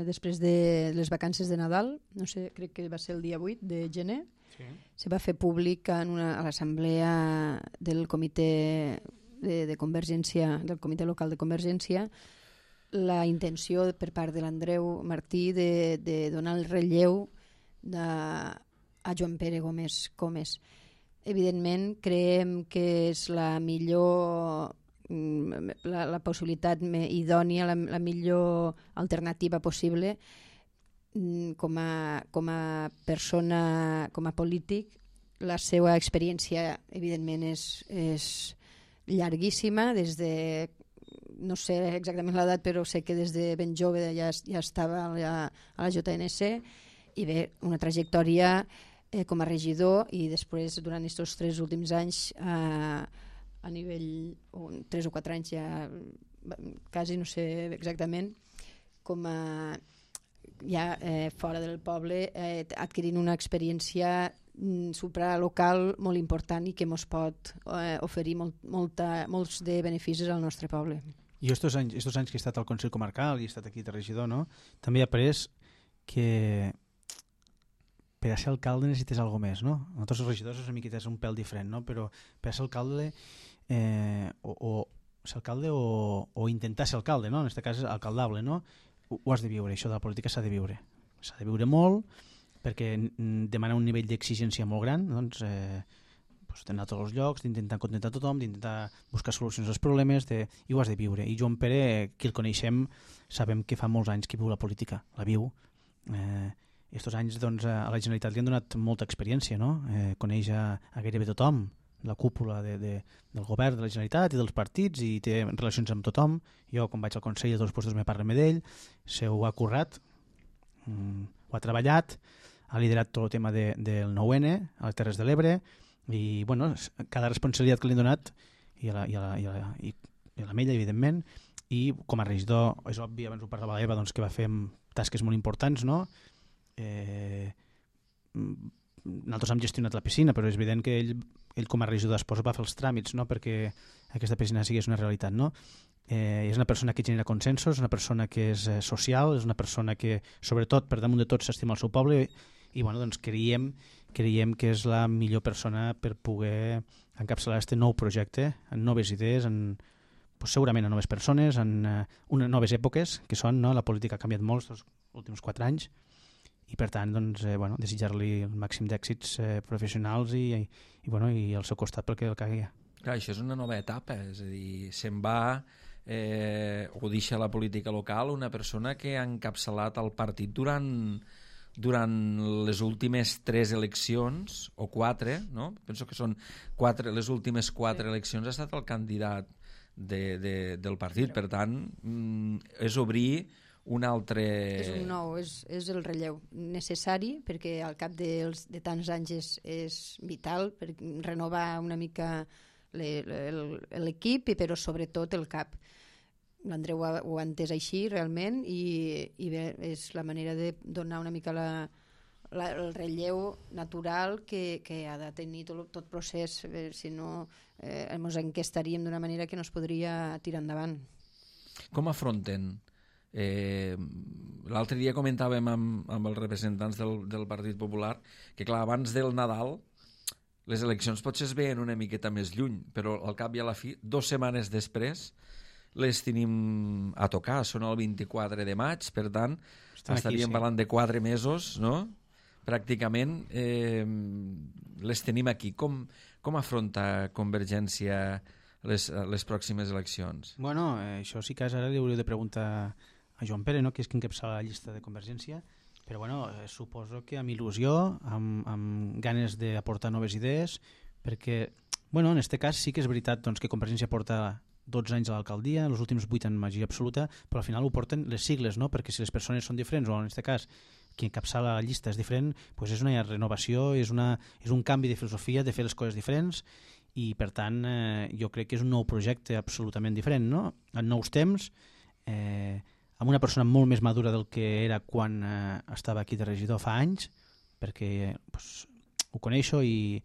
després de les vacances de Nadal, no sé, crec que va ser el dia 8 de gener, sí. Se va fer públic a l'assemblea del comitè de Convergència, del comitè local de Convergència, la intenció per part de l'Andreu Martí de donar el relleu a Joan Pere Gómez Comes. Evidentment, creiem que és la millor la possibilitat idònia, la millor alternativa possible com a persona, com a polític. La seva experiència evidentment és llarguíssima, des de, no sé exactament l'edat, però sé que des de ben jove ja estava a la JNC, i bé, una trajectòria com a regidor i després durant aquests 3 últims anys a nivell, 3 o 4 anys ja quasi, no sé exactament, com a ja fora del poble, adquirint una experiència supralocal molt important i que ens pot oferir molts de beneficis al nostre poble. I estos anys que he estat al Consell Comarcal i he estat aquí de regidor, no? També he après que per a ser alcalde necessites alguna més, no? Nosaltres els regidors és una miqueta un pèl diferent, no? Però per a ser alcalde ser alcalde o intentar ser alcalde, no? En aquest cas alcaldable, no? Ho has de viure, això de la política s'ha de viure. S'ha de viure molt perquè demana un nivell d'exigència molt gran, doncs d'anar a tots els llocs, d'intentar contentar tothom, d'intentar buscar solucions als problemes, i ho has de viure. I Joan Pere, qui el coneixem, sabem que fa molts anys que viu la política, la viu. Estos anys doncs, a la Generalitat li han donat molta experiència, no? Coneix a gairebé tothom, la cúpula del govern de la Generalitat i dels partits, i té relacions amb tothom. Jo, quan vaig al Consell, a tots els puestos me parlen d'ell, ho ha currat, ho ha treballat, ha liderat tot el tema del 9N a les Terres de l'Ebre, i bueno, cada responsabilitat que li han donat, i a la mella, evidentment, i com a regidor, és obvi, abans ho parlava l'Eva, doncs, que va fer tasques molt importants, no? Nosaltres hem gestionat la piscina, però és evident que ell ell com a regidor d'Esports va fer els tràmits, no?, perquè aquesta piscina sigués una realitat, no? És una persona que genera consensos, és una persona que és social, és una persona que, sobretot, per damunt de tot, s'estima el seu poble i bueno, doncs creiem que és la millor persona per poder encapçalar aquest nou projecte, en noves idees, segurament en noves persones, en noves èpoques, que són, no? La política ha canviat molt els últims 4 anys i per tant doncs, desitjar-li el màxim d'èxits professionals i al seu costat pel que el cagui. Clar, això és una nova etapa, és a dir, se'n va o deixa la política local una persona que ha encapçalat el partit durant les últimes 3 eleccions, o 4, no? Penso que són 4, les últimes 4 eleccions ha estat el candidat del partit, per tant, és obrir un altre... És un nou, és el relleu necessari, perquè al cap de tants anys és vital per renovar una mica l'equip, però sobretot el cap. L'Andreu ho ha entès així realment i bé, és la manera de donar una mica el relleu natural que ha de tenir tot procés, si no ens enquestaríem d'una manera que no es podria tirar endavant. Com afronten? L'altre dia comentàvem amb els representants del Partit Popular que clar, abans del Nadal les eleccions potser es veien una miqueta més lluny, però al cap i a la fi, 2 setmanes després les tenim a tocar, són el 24 de maig, per tant estaríem parlant de 4 mesos, no? Pràcticament les tenim aquí. Com afronta Convergència les pròximes eleccions? Bueno, això sí que ara li hauria de preguntar a Joan Pere, no?, que és qui encapçala la llista de Convergència, però bueno, suposo que amb il·lusió, amb ganes d'aportar noves idees, perquè bueno, en aquest cas sí que és veritat doncs, que Convergència porta 12 anys a l'alcaldia, els últims 8 en majoria absoluta, però al final ho porten les sigles, no? Perquè si les persones són diferents, o en aquest cas qui encapçala la llista és diferent, doncs és una renovació, és un canvi de filosofia, de fer les coses diferents, i per tant jo crec que és un nou projecte absolutament diferent, no? En nous temps, amb una persona molt més madura del que era quan estava aquí de regidor fa anys, perquè ho coneixo i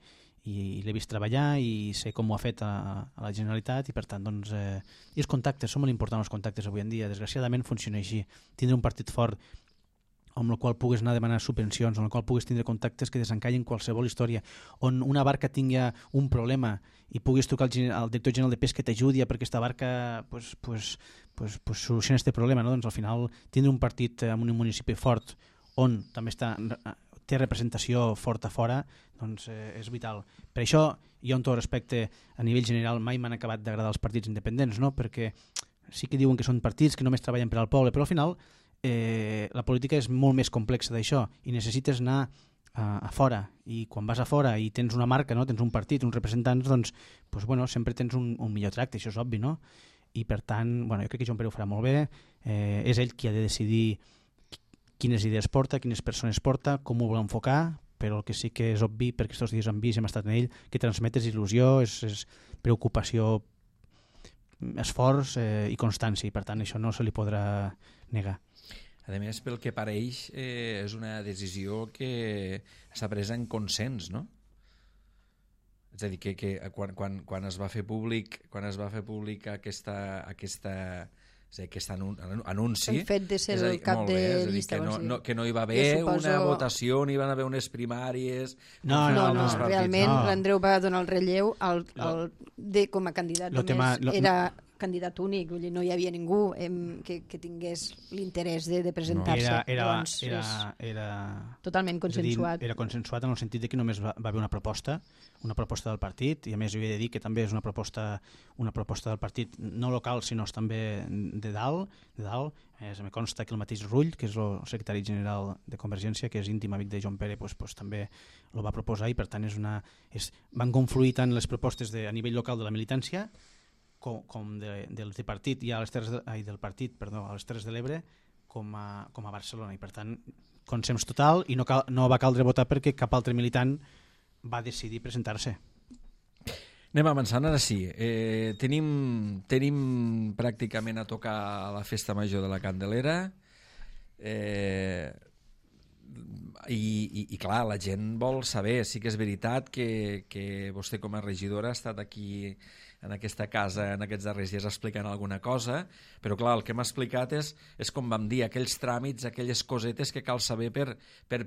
l'he vist treballar i sé com ho ha fet a la Generalitat i per tant doncs, i els contactes, són molt importants els contactes avui en dia, desgraciadament funciona així, tindre un partit fort amb el qual pugues anar a demanar subvencions, amb el qual pugues tindre contactes que desencallen qualsevol història, on una barca tingui un problema i puguis trucar al director general de pesca que t'ajudi perquè aquesta barca solucioni aquest problema, no? Doncs al final tindre un partit en un municipi fort on també té representació forta fora, doncs és vital. Per això jo amb tot respecte a nivell general mai m'han acabat d'agradar els partits independents, no? Perquè sí que diuen que són partits que només treballen per al poble, però al final la política és molt més complexa d'això i necessites anar a fora, i quan vas a fora i tens una marca, no? Tens un partit, uns representants, doncs bueno, sempre tens un millor tracte, això és obvi, no? I per tant, bueno, jo crec que Joan Pere ho farà molt bé, és ell qui ha de decidir quines idees porta, quines persones porta, com ho vol enfocar, però el que sí que és obvi, perquè aquests dies hem vist, hem estat en ell, que transmetes il·lusió, és preocupació, esforç i constància, i per tant això no se li podrà negar. A més, pel que pareix, és una decisió que s'ha pres en consens, no? És a dir, que quan es va fer públic aquest anunci... El fet de ser el cap de llista. Que no hi va haver una votació, ni van haver unes primàries... No, realment l'Andreu va donar el relleu com a candidat, només era candidat únic, no hi havia ningú que tingués l'interès de presentar-se. Era totalment consensuat. Era consensuat en el sentit que només va haver una proposta del partit, i a més ho he de dir que també és una proposta del partit no local sinó també de dalt. Me consta que el mateix Rull, que és el secretari general de Convergència, que és íntim amic de Joan Pere, també el va proposar, i per tant van confluir tant les propostes a nivell local de la militància com del tripartit i del partit a les Terres de l'Ebre com a Barcelona, i per tant consens total, i no va caldre votar perquè cap altre militant va decidir presentar-se. Anem avançant, ara sí. Tenim pràcticament a tocar la festa major de la Candelera. I clar, la gent vol saber. Sí que és veritat que vostè com a regidora ha estat aquí en aquesta casa en aquests darrers dies explicant alguna cosa, però clar, el que m'ha explicat és com vam dir, aquells tràmits, aquelles cosetes que cal saber per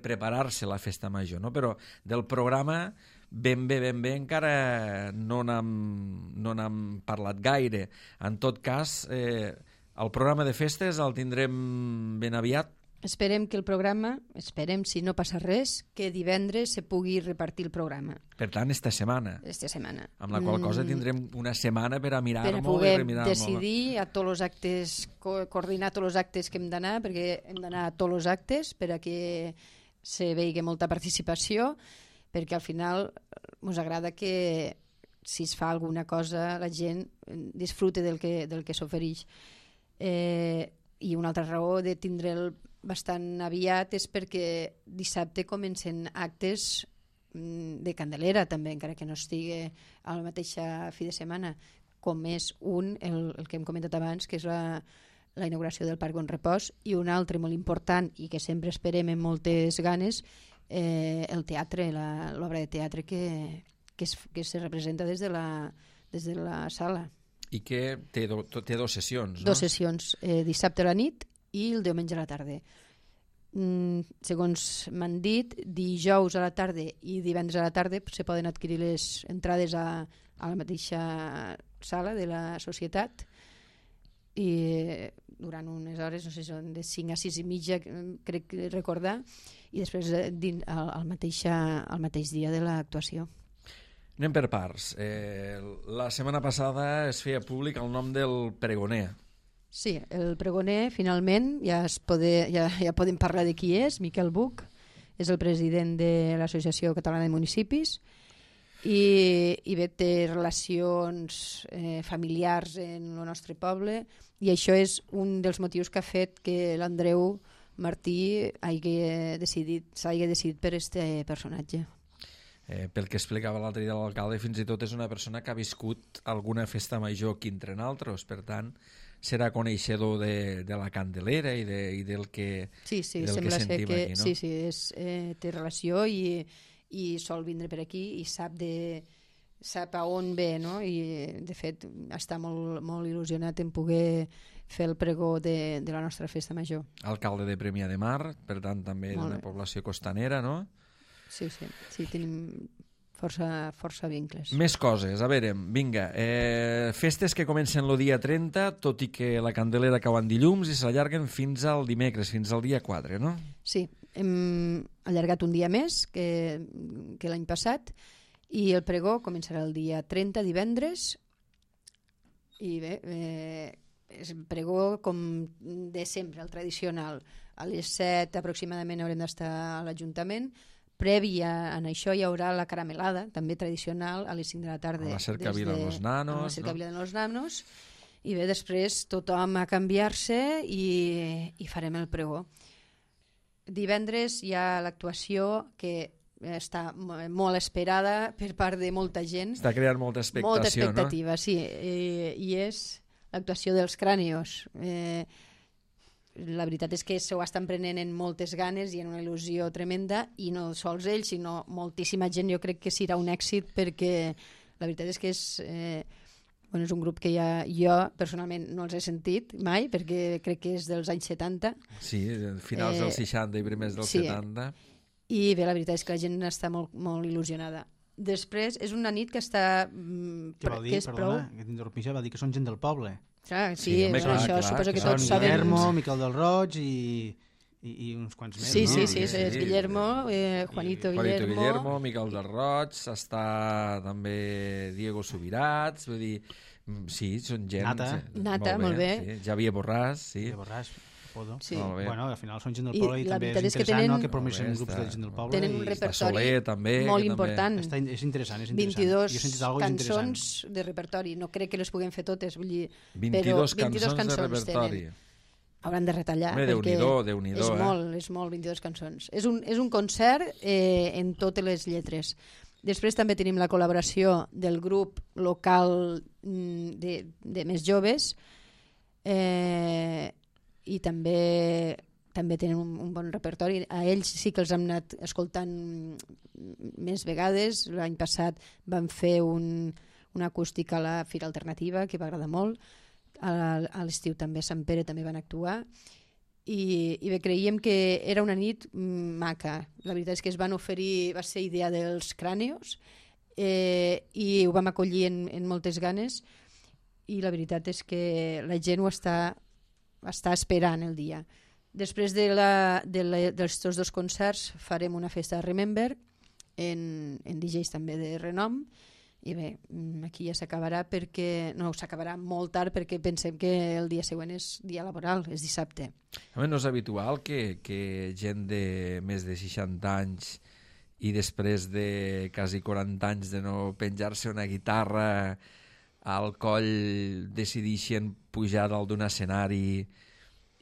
preparar-se la festa major, no? Però del programa ben bé encara no n'hem parlat gaire. En tot cas, el programa de festes el tindrem ben aviat. Esperem que el programa, si no passa res, que divendres se pugui repartir el programa. Per tant, esta setmana. Amb la qual cosa tindrem una setmana per a mirar-ho i poder remirar-ho. decidir a tots els actes, coordinar tots els actes que hem d'anar, perquè hem d'anar a tots els actes per a que se vegi molta participació, perquè al final ens agrada que si es fa alguna cosa la gent disfrute del que s'ofereix. I una altra raó de tindre'l bastant aviat és perquè dissabte comencen actes de Candelera també, encara que no estigui a la mateixa fi de setmana, com és el que hem comentat abans, que és la inauguració del Parc Bon Repòs, i un altre molt important i que sempre esperem amb moltes ganes, el teatre, l'obra de teatre que se representa des de la sala. I que té dues sessions, no? Dues sessions, dissabte a la nit i el diumenge a la tarda. Segons m'han dit, dijous a la tarda i divendres a la tarda se poden adquirir les entrades a la mateixa sala de la societat i durant unes hores, no sé, són de 5 a 6 i mitja, crec recordar, i després al mateix dia de l'actuació. Anem per parts. La setmana passada es feia públic el nom del pregoner. Sí, el pregoner finalment ja podem parlar de qui és. Miquel Buch és el president de l'Associació Catalana de Municipis i bé, té relacions familiars en el nostre poble, i això és un dels motius que ha fet que l'Andreu Martí s'hagi decidit per aquest personatge. Pel que explicava l'altre dia l'alcalde, fins i tot és una persona que ha viscut alguna festa major aquí entre nosaltres, per tant serà coneixedor de la Candelera i del que sembla sentim que, aquí, no? Sí, té relació i sol vindre per aquí i sap a on ve, no? I de fet està molt, molt il·lusionat en poder fer el pregó de la nostra festa major. Alcalde de Premià de Mar, per tant també d'una població costanera, no? Sí, tenim força vincles. Més coses, a veure, vinga. Festes que comencen el dia 30, tot i que la Candelera cau en dilluns i s'allarguen fins al dimecres, fins al dia 4, no? Sí, hem allargat un dia més que l'any passat i el pregó començarà el dia 30, divendres, i bé, és pregó com de sempre, el tradicional. A les 7 aproximadament haurem d'estar a l'Ajuntament. Previ a això hi haurà la caramelada, també tradicional, a les 5 de la tarda. A la cercavila de los nanos. A la cercavila de los nanos. I bé, després tothom a canviar-se i farem el pregó. Divendres hi ha l'actuació que està molt esperada per part de molta gent. Està creant molta expectació, molta expectativa, no? Sí. I és l'actuació dels Crànios. La veritat és que s'ho estan prenent en moltes ganes i en una il·lusió tremenda, i no sols ells, sinó moltíssima gent. Jo crec que serà un èxit, perquè la veritat és que és un grup que jo personalment no els he sentit mai, perquè crec que és dels anys 70. Sí, finals dels 60 i primers dels 70. I bé, la veritat és que la gent està molt, molt il·lusionada. Després, és una nit que està... Què vol dir? Perdona, que t'interrompia, va dir que són gent del poble. Clar, sí, això suposo que tots saben. Guillermo, Miquel del Roig i uns quants més. Sí, no? sí, és Guillermo, Juanito Guillermo, Miquel del Roig, està també Diego Subirats, vull dir, sí, són gent... Nata, molt bé. Sí. Javier Borràs, sí. Javier Borràs, Podo. Sí. Bueno, al final són gent del poble i també és interessant que promocionen grups de gent del poble. Tenen un repertori Soler, també, molt important. És interessant. 22 cançons de repertori. No crec que les puguem fer totes, vull dir, 22 cançons de repertori. Hauran de retallar. Déu-n'hi-do, és molt, 22 cançons. És un concert en totes les lletres. Després també tenim la col·laboració del grup local de més joves, i també també tenen un bon repertori. A ells sí que els hem anat escoltant més vegades. L'any passat van fer una acústica a la Fira Alternativa, que va agradar molt. A l'estiu també a Sant Pere també van actuar. I bé, creiem que era una nit maca. La veritat és que es van oferir, va ser idea dels Cràneos, i ho vam acollir en moltes ganes, i la veritat és que la gent ho està esperant el dia. Després dels tots dos concerts farem una festa de Remember en DJs també de renom, i bé, aquí ja s'acabarà, perquè no s'acabarà molt tard, perquè pensem que el dia següent és dia laboral, és dissabte. No és habitual que gent de més de 60 anys i després de quasi 40 anys de no penjar-se una guitarra al coll decideixen pujar dalt d'un escenari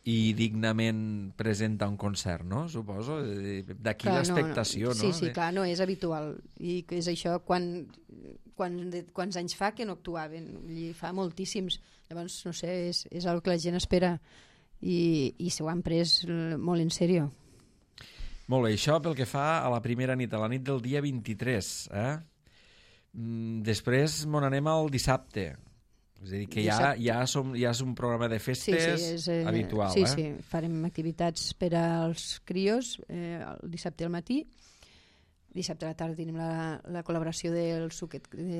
i dignament presenta un concert, no? Suposo. D'aquí l'expectació, no? Sí, clar, no és habitual. I és això, quants anys fa que no actuaven? Fa moltíssims. Llavors, no sé, és el que la gent espera, i s'ho han pres molt en sèrio. Molt bé, això pel que fa a la primera nit, a la nit del dia 23. Després m'on anem al dissabte. És a dir, que ja és un programa de festes habitual. Sí, farem activitats per als crios el dissabte al matí. Dissabte a la tarda tenim la col·laboració de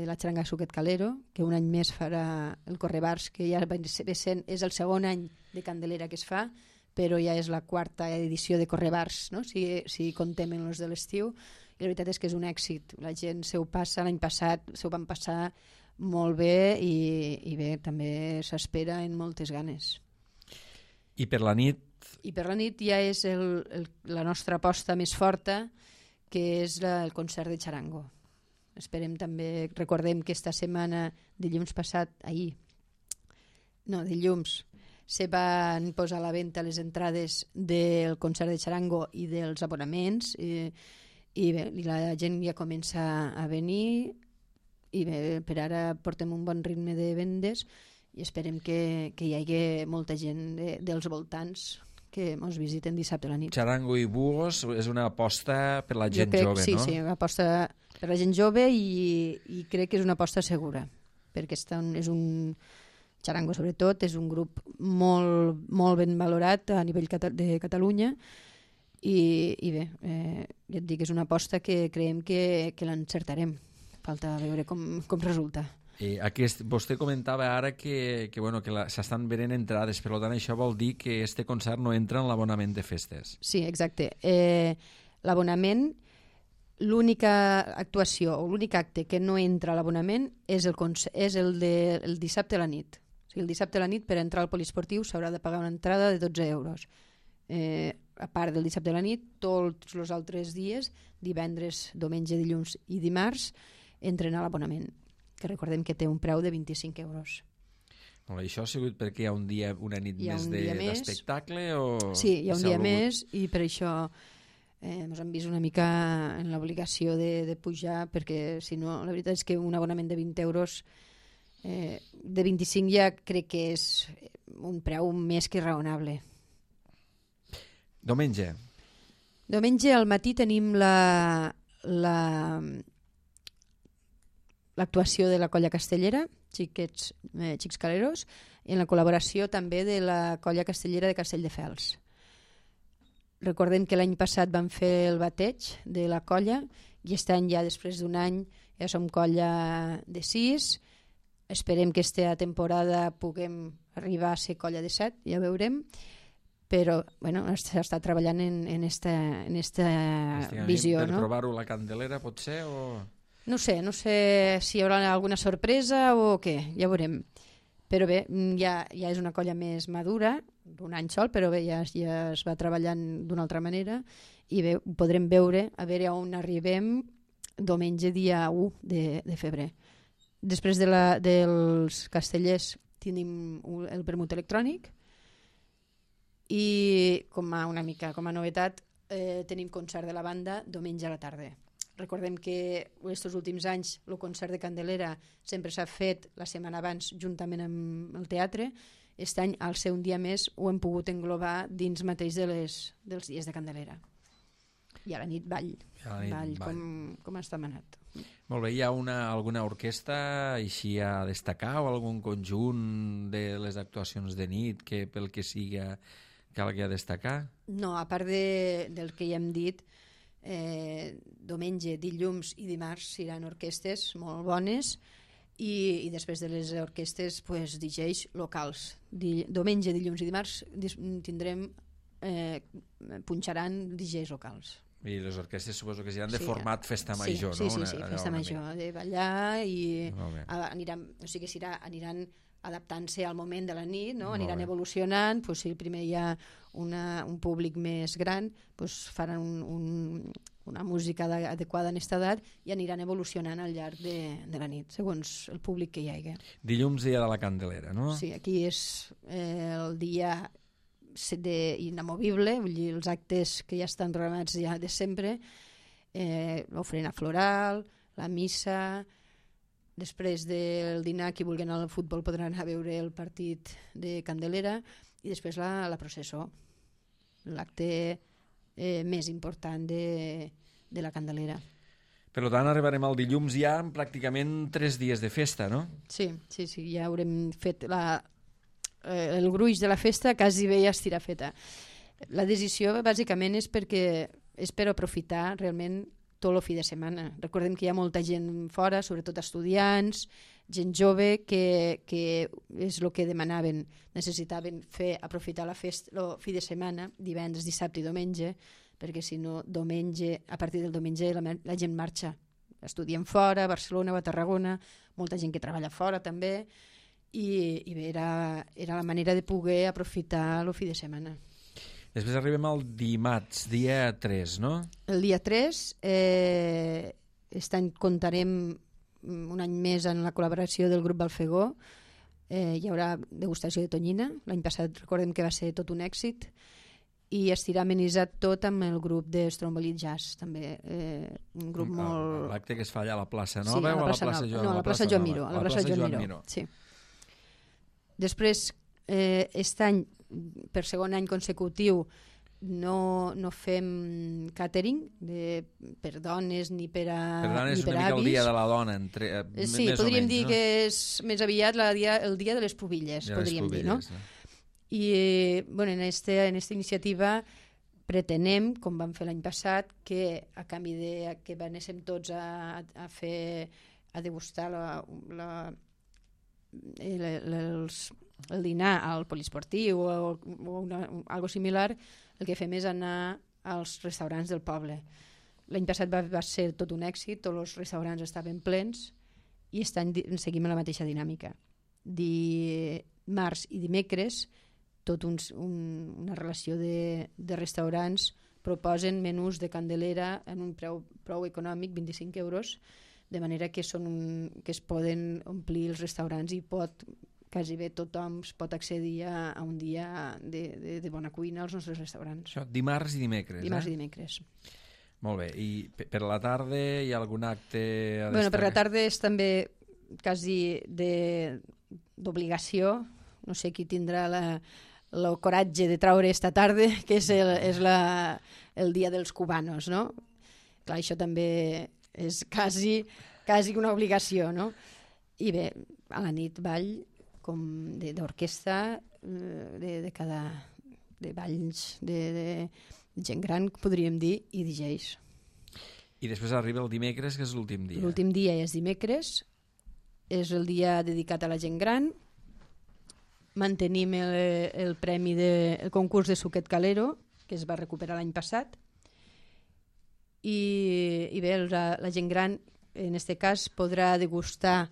la xaranga Suquet Calero, que un any més farà el Correbars, que ja és el segon any de Candelera que es fa, però ja és la quarta edició de Correbars, no? Si contem en els de l'estiu. I la veritat és que és un èxit. La gent s'ho passa, l'any passat s'ho van passar molt bé, i bé, també s'espera en moltes ganes. I per la nit? I per la nit ja és la nostra aposta més forta, que és el concert de Charango. Esperem també, recordem que esta setmana, dilluns, se van posar a la venda les entrades del concert de Charango i dels abonaments, i bé, la gent ja comença a venir, i bé, per ara portem un bon ritme de vendes i esperem que hi hagi molta gent dels voltants que ens visiten dissabte a la nit. Charango i Bugos és una aposta per la gent jove, no? Sí, una aposta per la gent jove, i crec que és una aposta segura, perquè és un Charango, sobretot, és un grup molt, molt ben valorat a nivell de Catalunya, i bé, ja et dic, és una aposta que creiem que l'encertarem. Falta veure com resulta. Vostè comentava ara que s'estan venent entrades, per tant això vol dir que este concert no entra en l'abonament de festes. Sí, exacte. L'abonament, l'única actuació o l'únic acte que no entra a l'abonament és el dissabte a la nit. O sigui, el dissabte a la nit, per entrar al poliesportiu s'haurà de pagar una entrada de 12 euros. A part del dissabte a la nit, tots els altres dies, divendres, diumenge, dilluns i dimarts, entren a l'abonament, que recordem que té un preu de 25 euros. Això ha sigut perquè hi ha una nit més d'espectacle? Sí, hi ha un dia més, i per això ens hem vist una mica en l'obligació de pujar, perquè si no, la veritat és que un abonament de 20 euros, de 25 ja crec que és un preu més que raonable. Diumenge al matí tenim l'actuació de la Colla Castellera, Xics Caleros, en la col·laboració també de la Colla Castellera de Castelldefels. Recordem que l'any passat vam fer el bateig de la colla, i aquest any, ja després d'un any, ja som colla de 6. Esperem que aquesta temporada puguem arribar a ser colla de 7, ja veurem. Però s'està treballant en esta visió. Per provar-ho la Candelera, potser? No sé si hi haurà alguna sorpresa o què, ja veurem. Però bé, ja és una colla més madura, d'un any sol, però bé, ja es va treballant d'una altra manera, i bé, ho podrem veure, a veure on arribem diumenge dia 1 de febrer. Després dels castellers tenim el vermut electrònic, i com a novetat tenim concert de la banda diumenge a la tarda. Recordem que aquests últims anys el concert de Candelera sempre s'ha fet la setmana abans juntament amb el teatre, aquest any, al ser un dia més, ho hem pogut englobar dins mateix dels dies de Candelera. I a la nit ball, com està manat. Molt bé, hi ha alguna orquestra així a destacar o algun conjunt de les actuacions de nit que pel que siga calgui a destacar? No, a part del que ja hem dit, diumenge, dilluns i dimarts seran orquestes molt bones i després de les orquestes DJs locals. Diumenge, dilluns i dimarts tindrem punxaran DJs locals. I les orquestes suposo que seran de format festa major, no? Sí, festa major, de ballar i aniran adaptant-se al moment de la nit, no? Aniran evolucionant, si primer hi ha un públic més gran, faran una música adequada en aquesta edat i aniran evolucionant al llarg de la nit, segons el públic que hi hagi. Dilluns, dia de la Candelera, no? Sí, aquí és el dia inamovible, vull dir, els actes que ja estan programats ja de sempre, l'ofrena floral, la missa, després del dinar, qui vulgui anar al futbol podrà anar a veure el partit de Candelera i després la processó, l'acte més important de la Candelera. Per tant, arribarem al dilluns ja amb pràcticament 3 dies de festa, no? Sí, ja haurem fet el gruix de la festa quasi bé ja estirà feta. La decisió bàsicament és per aprofitar realment tot el fi de setmana. Recordem que hi ha molta gent fora, sobretot estudiants, gent jove, que és el que demanaven, necessitaven aprofitar la festa, el fi de setmana, divendres, dissabte i diumenge, perquè si no, a partir del diumenge la gent marxa. Estudien fora, a Barcelona o a Tarragona, molta gent que treballa fora també, i bé, era la manera de poder aprofitar el fi de setmana. Després arribem al dimarts, dia 3, no? El dia 3, aquest any comptarem un any més en la col·laboració del grup Balfegó. Hi haurà degustació de tonyina. L'any passat recordem que va ser tot un èxit. I estirà amenitzat tot amb el grup de Stromboli Jazz, també. Un grup molt... L'acte que es fa allà a la plaça Nova o a la plaça Joan? No, a la plaça Joan Miró. A la plaça Joan Miró, sí. Després, aquest any, per segon any consecutiu, no fem catering per dones ni per avis. Per tant, és una mica el dia de la dona. Sí, podríem dir que és més aviat el dia de les pubilles, podríem dir, no? I en aquesta iniciativa pretenem, com vam fer l'any passat, que a canvi de que anéssim tots a degustar el dinar al poliesportiu o algo similar, el que fem és anar als restaurants del poble. L'any passat va ser tot un èxit, tots els restaurants estaven plens i aquest any seguim la mateixa dinàmica. Dimarts i dimecres una relació de restaurants proposen menús de Candelera en un preu prou econòmic, 25 euros, de manera que es poden omplir els restaurants i quasi bé tothom pot accedir a un dia de bona cuina als nostres restaurants. Això, dimarts i dimecres. Dimarts i dimecres. Molt bé, i per la tarda hi ha algun acte a destacar? Per la tarda és també quasi d'obligació, no sé qui tindrà el coratge de traure esta tarda, que és el dia dels cubanos, no? Clar, això també és quasi una obligació, no? I bé, a la nit ball com d'orquestra, de balls, de gent gran, podríem dir, i DJs. I després arriba el dimecres, que és l'últim dia. L'últim dia és dimecres, és el dia dedicat a la gent gran. Mantenim el premi del concurs de suquet calero, que es va recuperar l'any passat. I bé, la gent gran, en aquest cas, podrà degustar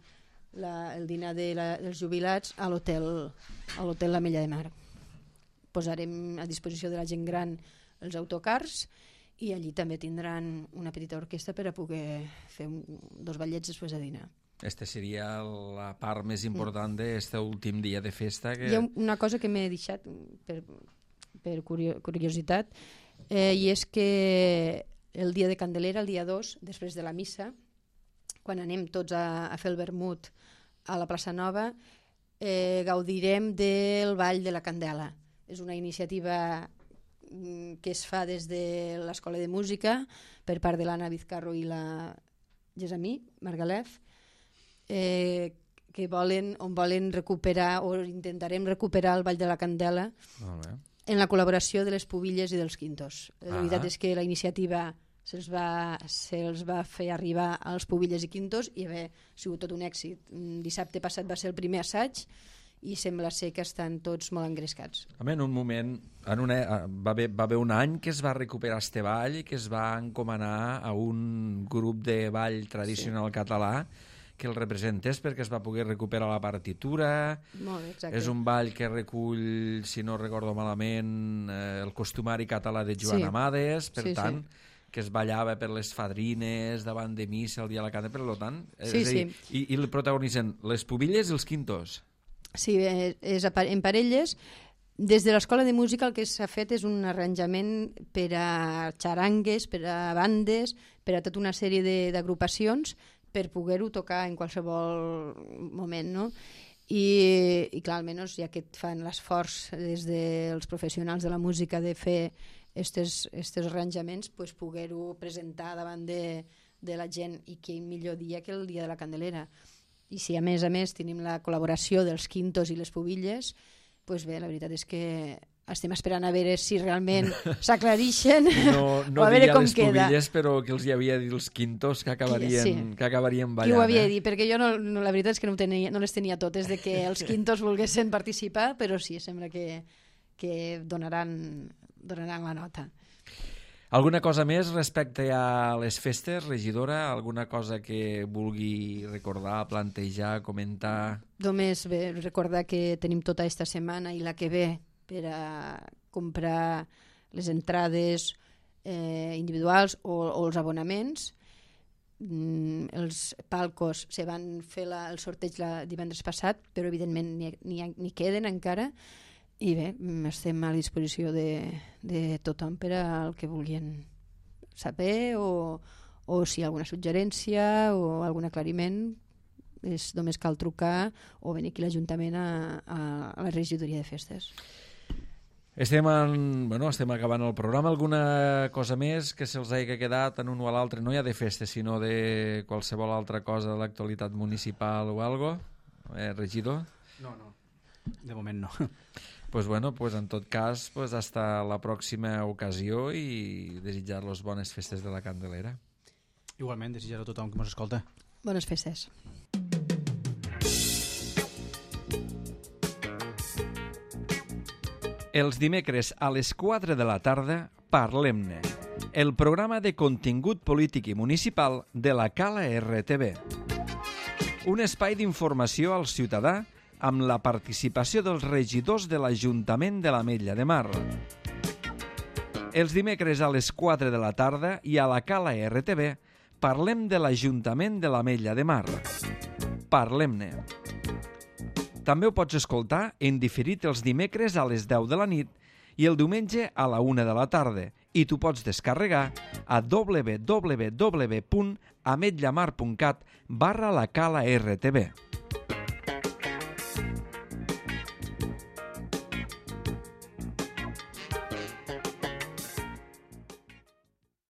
el dinar dels jubilats a l'hotel l'Ametlla de Mar. Posarem a disposició de la gent gran els autocars i allí també tindran una petita orquestra per a poder fer 2 ballets després de dinar. Aquesta seria la part més important d'aquest últim dia de festa. Hi ha una cosa que m'he deixat per curiositat, i és que el dia de Candelera, el dia 2, després de la missa, quan anem tots a fer el vermut a la plaça Nova, gaudirem del Ball de la Candela. És una iniciativa que es fa des de l'Escola de Música per part de l'Anna Vizcarro i la Gesamí Margalef, que volen recuperar, o intentarem recuperar el Ball de la Candela en la col·laboració de les Pubilles i dels Quintos. La veritat és que la iniciativa se'ls va fer arribar als Pubilles i Quintos i ha sigut tot un èxit. Dissabte passat va ser el primer assaig i sembla ser que estan tots molt engrescats. En un moment, va haver un any que es va recuperar este ball i que es va encomanar a un grup de ball tradicional català que el representés perquè es va poder recuperar la partitura. Molt bé, exacte. És un ball que recull, si no recordo malament, el costumari català de Joan Amades, per tant, que es ballava per les fadrines davant de missa el dia de la candela, per tant, i el protagonitzen les Pubilles i els Quintos. Sí, és en parelles. Des de l'Escola de Música el que s'ha fet és un arranjament per a xarangues, per a bandes, per a tota una sèrie d'agrupacions per poder-ho tocar en qualsevol moment, no? I clar, almenys ja que fan l'esforç des dels professionals de la música de fer estos arranjaments, pues poder-ho presentar davant de la gent, i que millor dia que el dia de la Candelera. I si a més tenim la col·laboració dels Quintos i les Pubilles, doncs bé, la veritat és que estem esperant a veure si realment s'aclarixen o a veure com queda. No diria les Pubilles, però que els hi havia dit els Quintos que acabarien ballant. Qui ho havia dit, perquè jo la veritat és que no les tenia totes de que els Quintos volguessin participar, però sí, sembla que donaran la nota. Alguna cosa més respecte a les festes, regidora? Alguna cosa que vulgui recordar, plantejar, comentar? Només recordar que tenim tota aquesta setmana i la que ve per a comprar les entrades individuals o els abonaments. Els palcos se van fer el sorteig divendres passat, però evidentment n'hi queden encara. I bé, estem a disposició de tothom per al que vulguin saber o si hi ha alguna suggerència o algun aclariment, només cal trucar o venir aquí a l'Ajuntament a la regidoria de festes. Estem acabant el programa. Alguna cosa més que se'ls hagi quedat en un o a l'altre? No ja de festes, sinó de qualsevol altra cosa de l'actualitat municipal o algo? Regidor? No. De moment no. Pues en tot cas, hasta la pròxima ocasió i desitjar-los bones festes de la Candelera. Igualment, desitjar a tothom que ens escolta. Bones festes. Els dimecres a les 4 de la tarda, Parlem-ne, el programa de contingut polític i municipal de la Cala RTV. Un espai d'informació al ciutadà amb la participació dels regidors de l'Ajuntament de l'Ametlla de Mar. Els dimecres a les 4 de la tarda i a la Cala RTV parlem de l'Ajuntament de l'Ametlla de Mar. Parlem-ne. També ho pots escoltar en diferit els dimecres a les 10 de la nit i el diumenge a la 1 de la tarda i tu pots descarregar a www.ametllamar.cat/la Cala RTV.